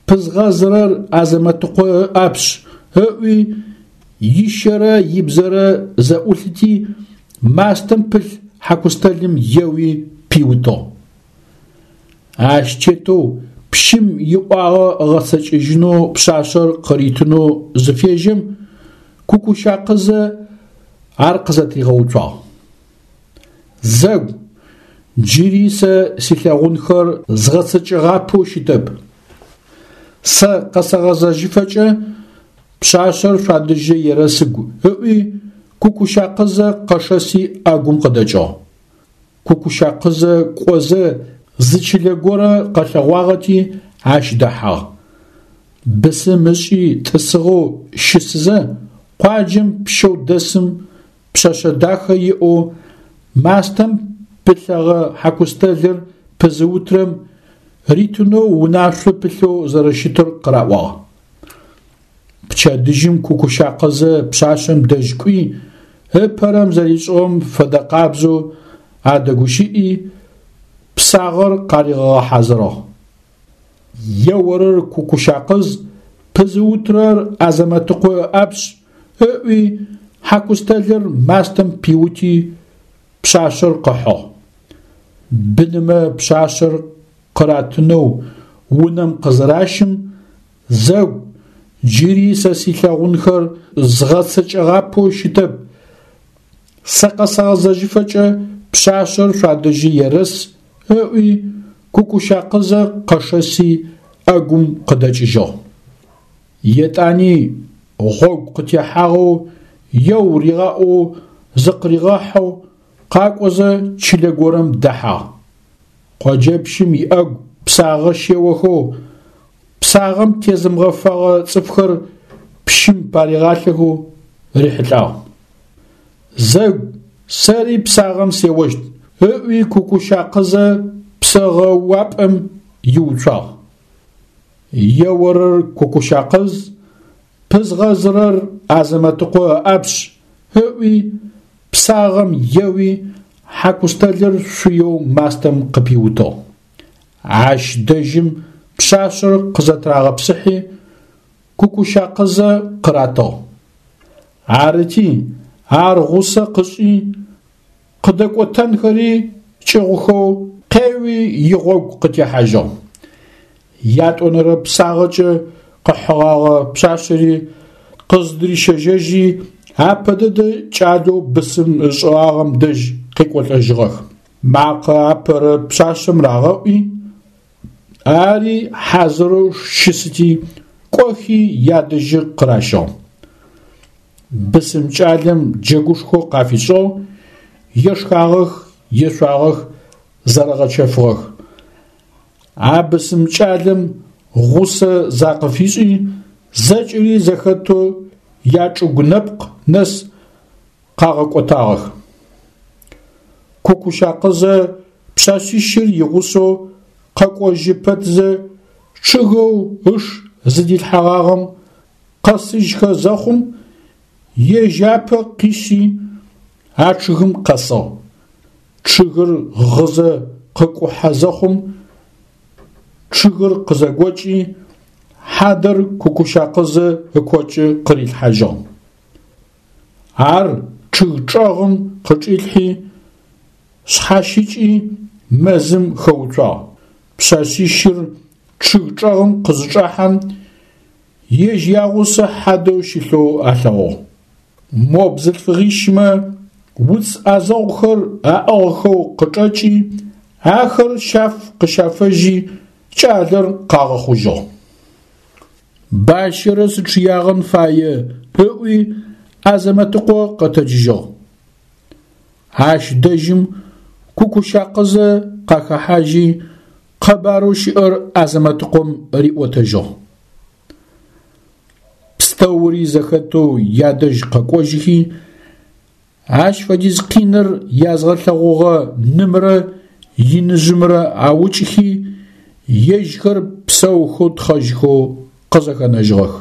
Speaker 1: пызгъэзырэр Азэмэтыкъо ыӏапшъ, ыӏуи, ищэрэ ибзэрэ зэӏулъыти, мастэм пылъ хьакустэлым еуи пиутыгъ. Ащ тетэу пщым иӏуагъэ ыгъэцэкӏэжьынэу пшъашъэр къыритынэу зыфежьэм, Кукушакъызэ ар къызэтыригъэуцуагъ. Зэгу, джыри сэ силъэгъунхэр згъэцэкӏэгъапэу щытэп. Сэ къэсэгъэзэжьыфэкӏэ пшъашъэр шъуадэжьы ерэсыгу, ыӏуи, Кукушакъызэ къэшэси ӏэгум къыдэкӏыгъ. Кукушакъызэ кӏозэ зы чылэ горэ къэлъэгъуагъэти, ащ дэхьагъ. Бысым ышӏи тӏысыгъэу щысызэ, къуаджэм пщэу дэсым пшъэшъэ дахэ иӏэу мастэм пылъэгъэ хьакустэлыр пызыутрэм ритынэу унашъо пылъэу зэрэщытыр къыраӏуагъ. Пчэдыжьым Кукушакъызэ пшъашъэм дэжь кӏуи, ыпэрэм зэришӏыгъэм фэдэкъабзэу адэгущыӏи, псагъэр къаригъэгъэхьазырыгъ. Еорэр Кукушакъыз, пызыутрэр Азэмэтыкъо ыӏапшъ, ыӏуи, хьакустэлыр мастэм пиути, пшъашъэр къыхьыгъ. Бынымэ пшъашъэр къыратынэу унэм къызыращым, зэгу, джыри сэ силъэгъунхэр згъэцэкӏэгъапэу щытэп, сэ къэсэгъэзэжьыфэкӏэ пшъашъэр шъуадэжьы ерэс, ыӏуи, Кукушакъызэ къэшэси ӏэгум къыдэкӏыжьыгъ. Етӏани гъогу къытехьагъэу еу ригъаӏоу зыкъыригъэхьэу къакӏозэ чылэ горэм дэхьагъ. Къоджэпщым иӏэгу псагъэ щеохэу, псагъэм тезымыгъэфэгъэ цӏыфхэр пщым паригъалъэхэу рихьылӏагъ. Зэгу, сэри псагъэм сеощт, ыӏуи Кукушакъызэ псэгъэ уапӏэм иуцуагъ. Еорэр Кукушакъыз, пызгъэзырэр Азэмэтыкъо ыӏапшъ, ыӏуи, псагъэм еуи, хьакустэлыр шъуеу мастэм къыпиутыгъ. Ащ дэжьым пшъашъэр къызэтырагъэпсыхьи, Кукушакъызэ къыратыгъ. Арыти, ар гъусэ къышӏи, къыдэкӏотэнхэри кӏыгъухэу къеуи игъогу къытехьажьыгъ. Ятӏонэрэ псагъэкӏэ къыхьыгъагъэ пшъашъэри къыздырищэжьэжьи, апэ дэдэ кӏалэу бысым ышӏыгъагъэм дэжь къекӏолӏэжьыгъэх. Макъэ апэрэ пшъашъэм рагъэӏуи, ари хьазырэу щысыти, кӏохи ядэжьы къыращыгъ. Бысым кӏалэм джэгушхо къафишӏыгъ, ешхагъэх, ешъуагъэх, зэрэгъэчэфыгъэх. А бысым кӏалэм гъусэ закъыфишӏи, зэкӏэри зэхэтэу ячӏыгу нэпкъ нэс къагъэкӏотагъэх. Кукушакъызэ пшъашъищыр игъусэу къэкӏожьы пэтзэ чъыгэу ыш зыдилъхьэгъагъэм къэсыжьхэ зэхъум, ежь апэ къишъи а чъыгым къэсыгъ. Чъыгыр гъызэ къыкӏухьэ зэхъум, чъыгыр къызэгокӏи, хьадэр Кукушакъызэ ыкокӏы къырилъхьажьыгъ. Ар чъыг чӏэгъым къычӏилъхьи, шъхьащыкӏи мэзым хэуцуагъ. Пшъэшъищыр чъыг чӏэгъым къызычӏахьэм, ежь ягъусэ хьадэу щылъэу алъэгъугъ. Мо бзылъфыгъищмэ уц ӏэзэгъухэр аӏыгъхэу къычӏэкӏи, ахэр щаф къыщафэжьи, кӏалэр къагъэхъужьыгъ. Бащэрэ сычъыягъэн фае, ыӏуи Азэмэтыкъо къэтэджыжьыгъ. Ащ дэжьым Кукушакъызэ къахэхьажьи, къэбарэу щыӏэр Азэмэтыкъом риӏотэжьыгъ. Пстэури зэхэтэу ядэжь къэкӏожьыхи, ащ фэдиз къиныр язгъэлъэгъугъэ нымрэ иныжъымрэ аукӏыхи, ежьхэр псэухэу тхъэжьхэу къызэхэнэжьыгъэх.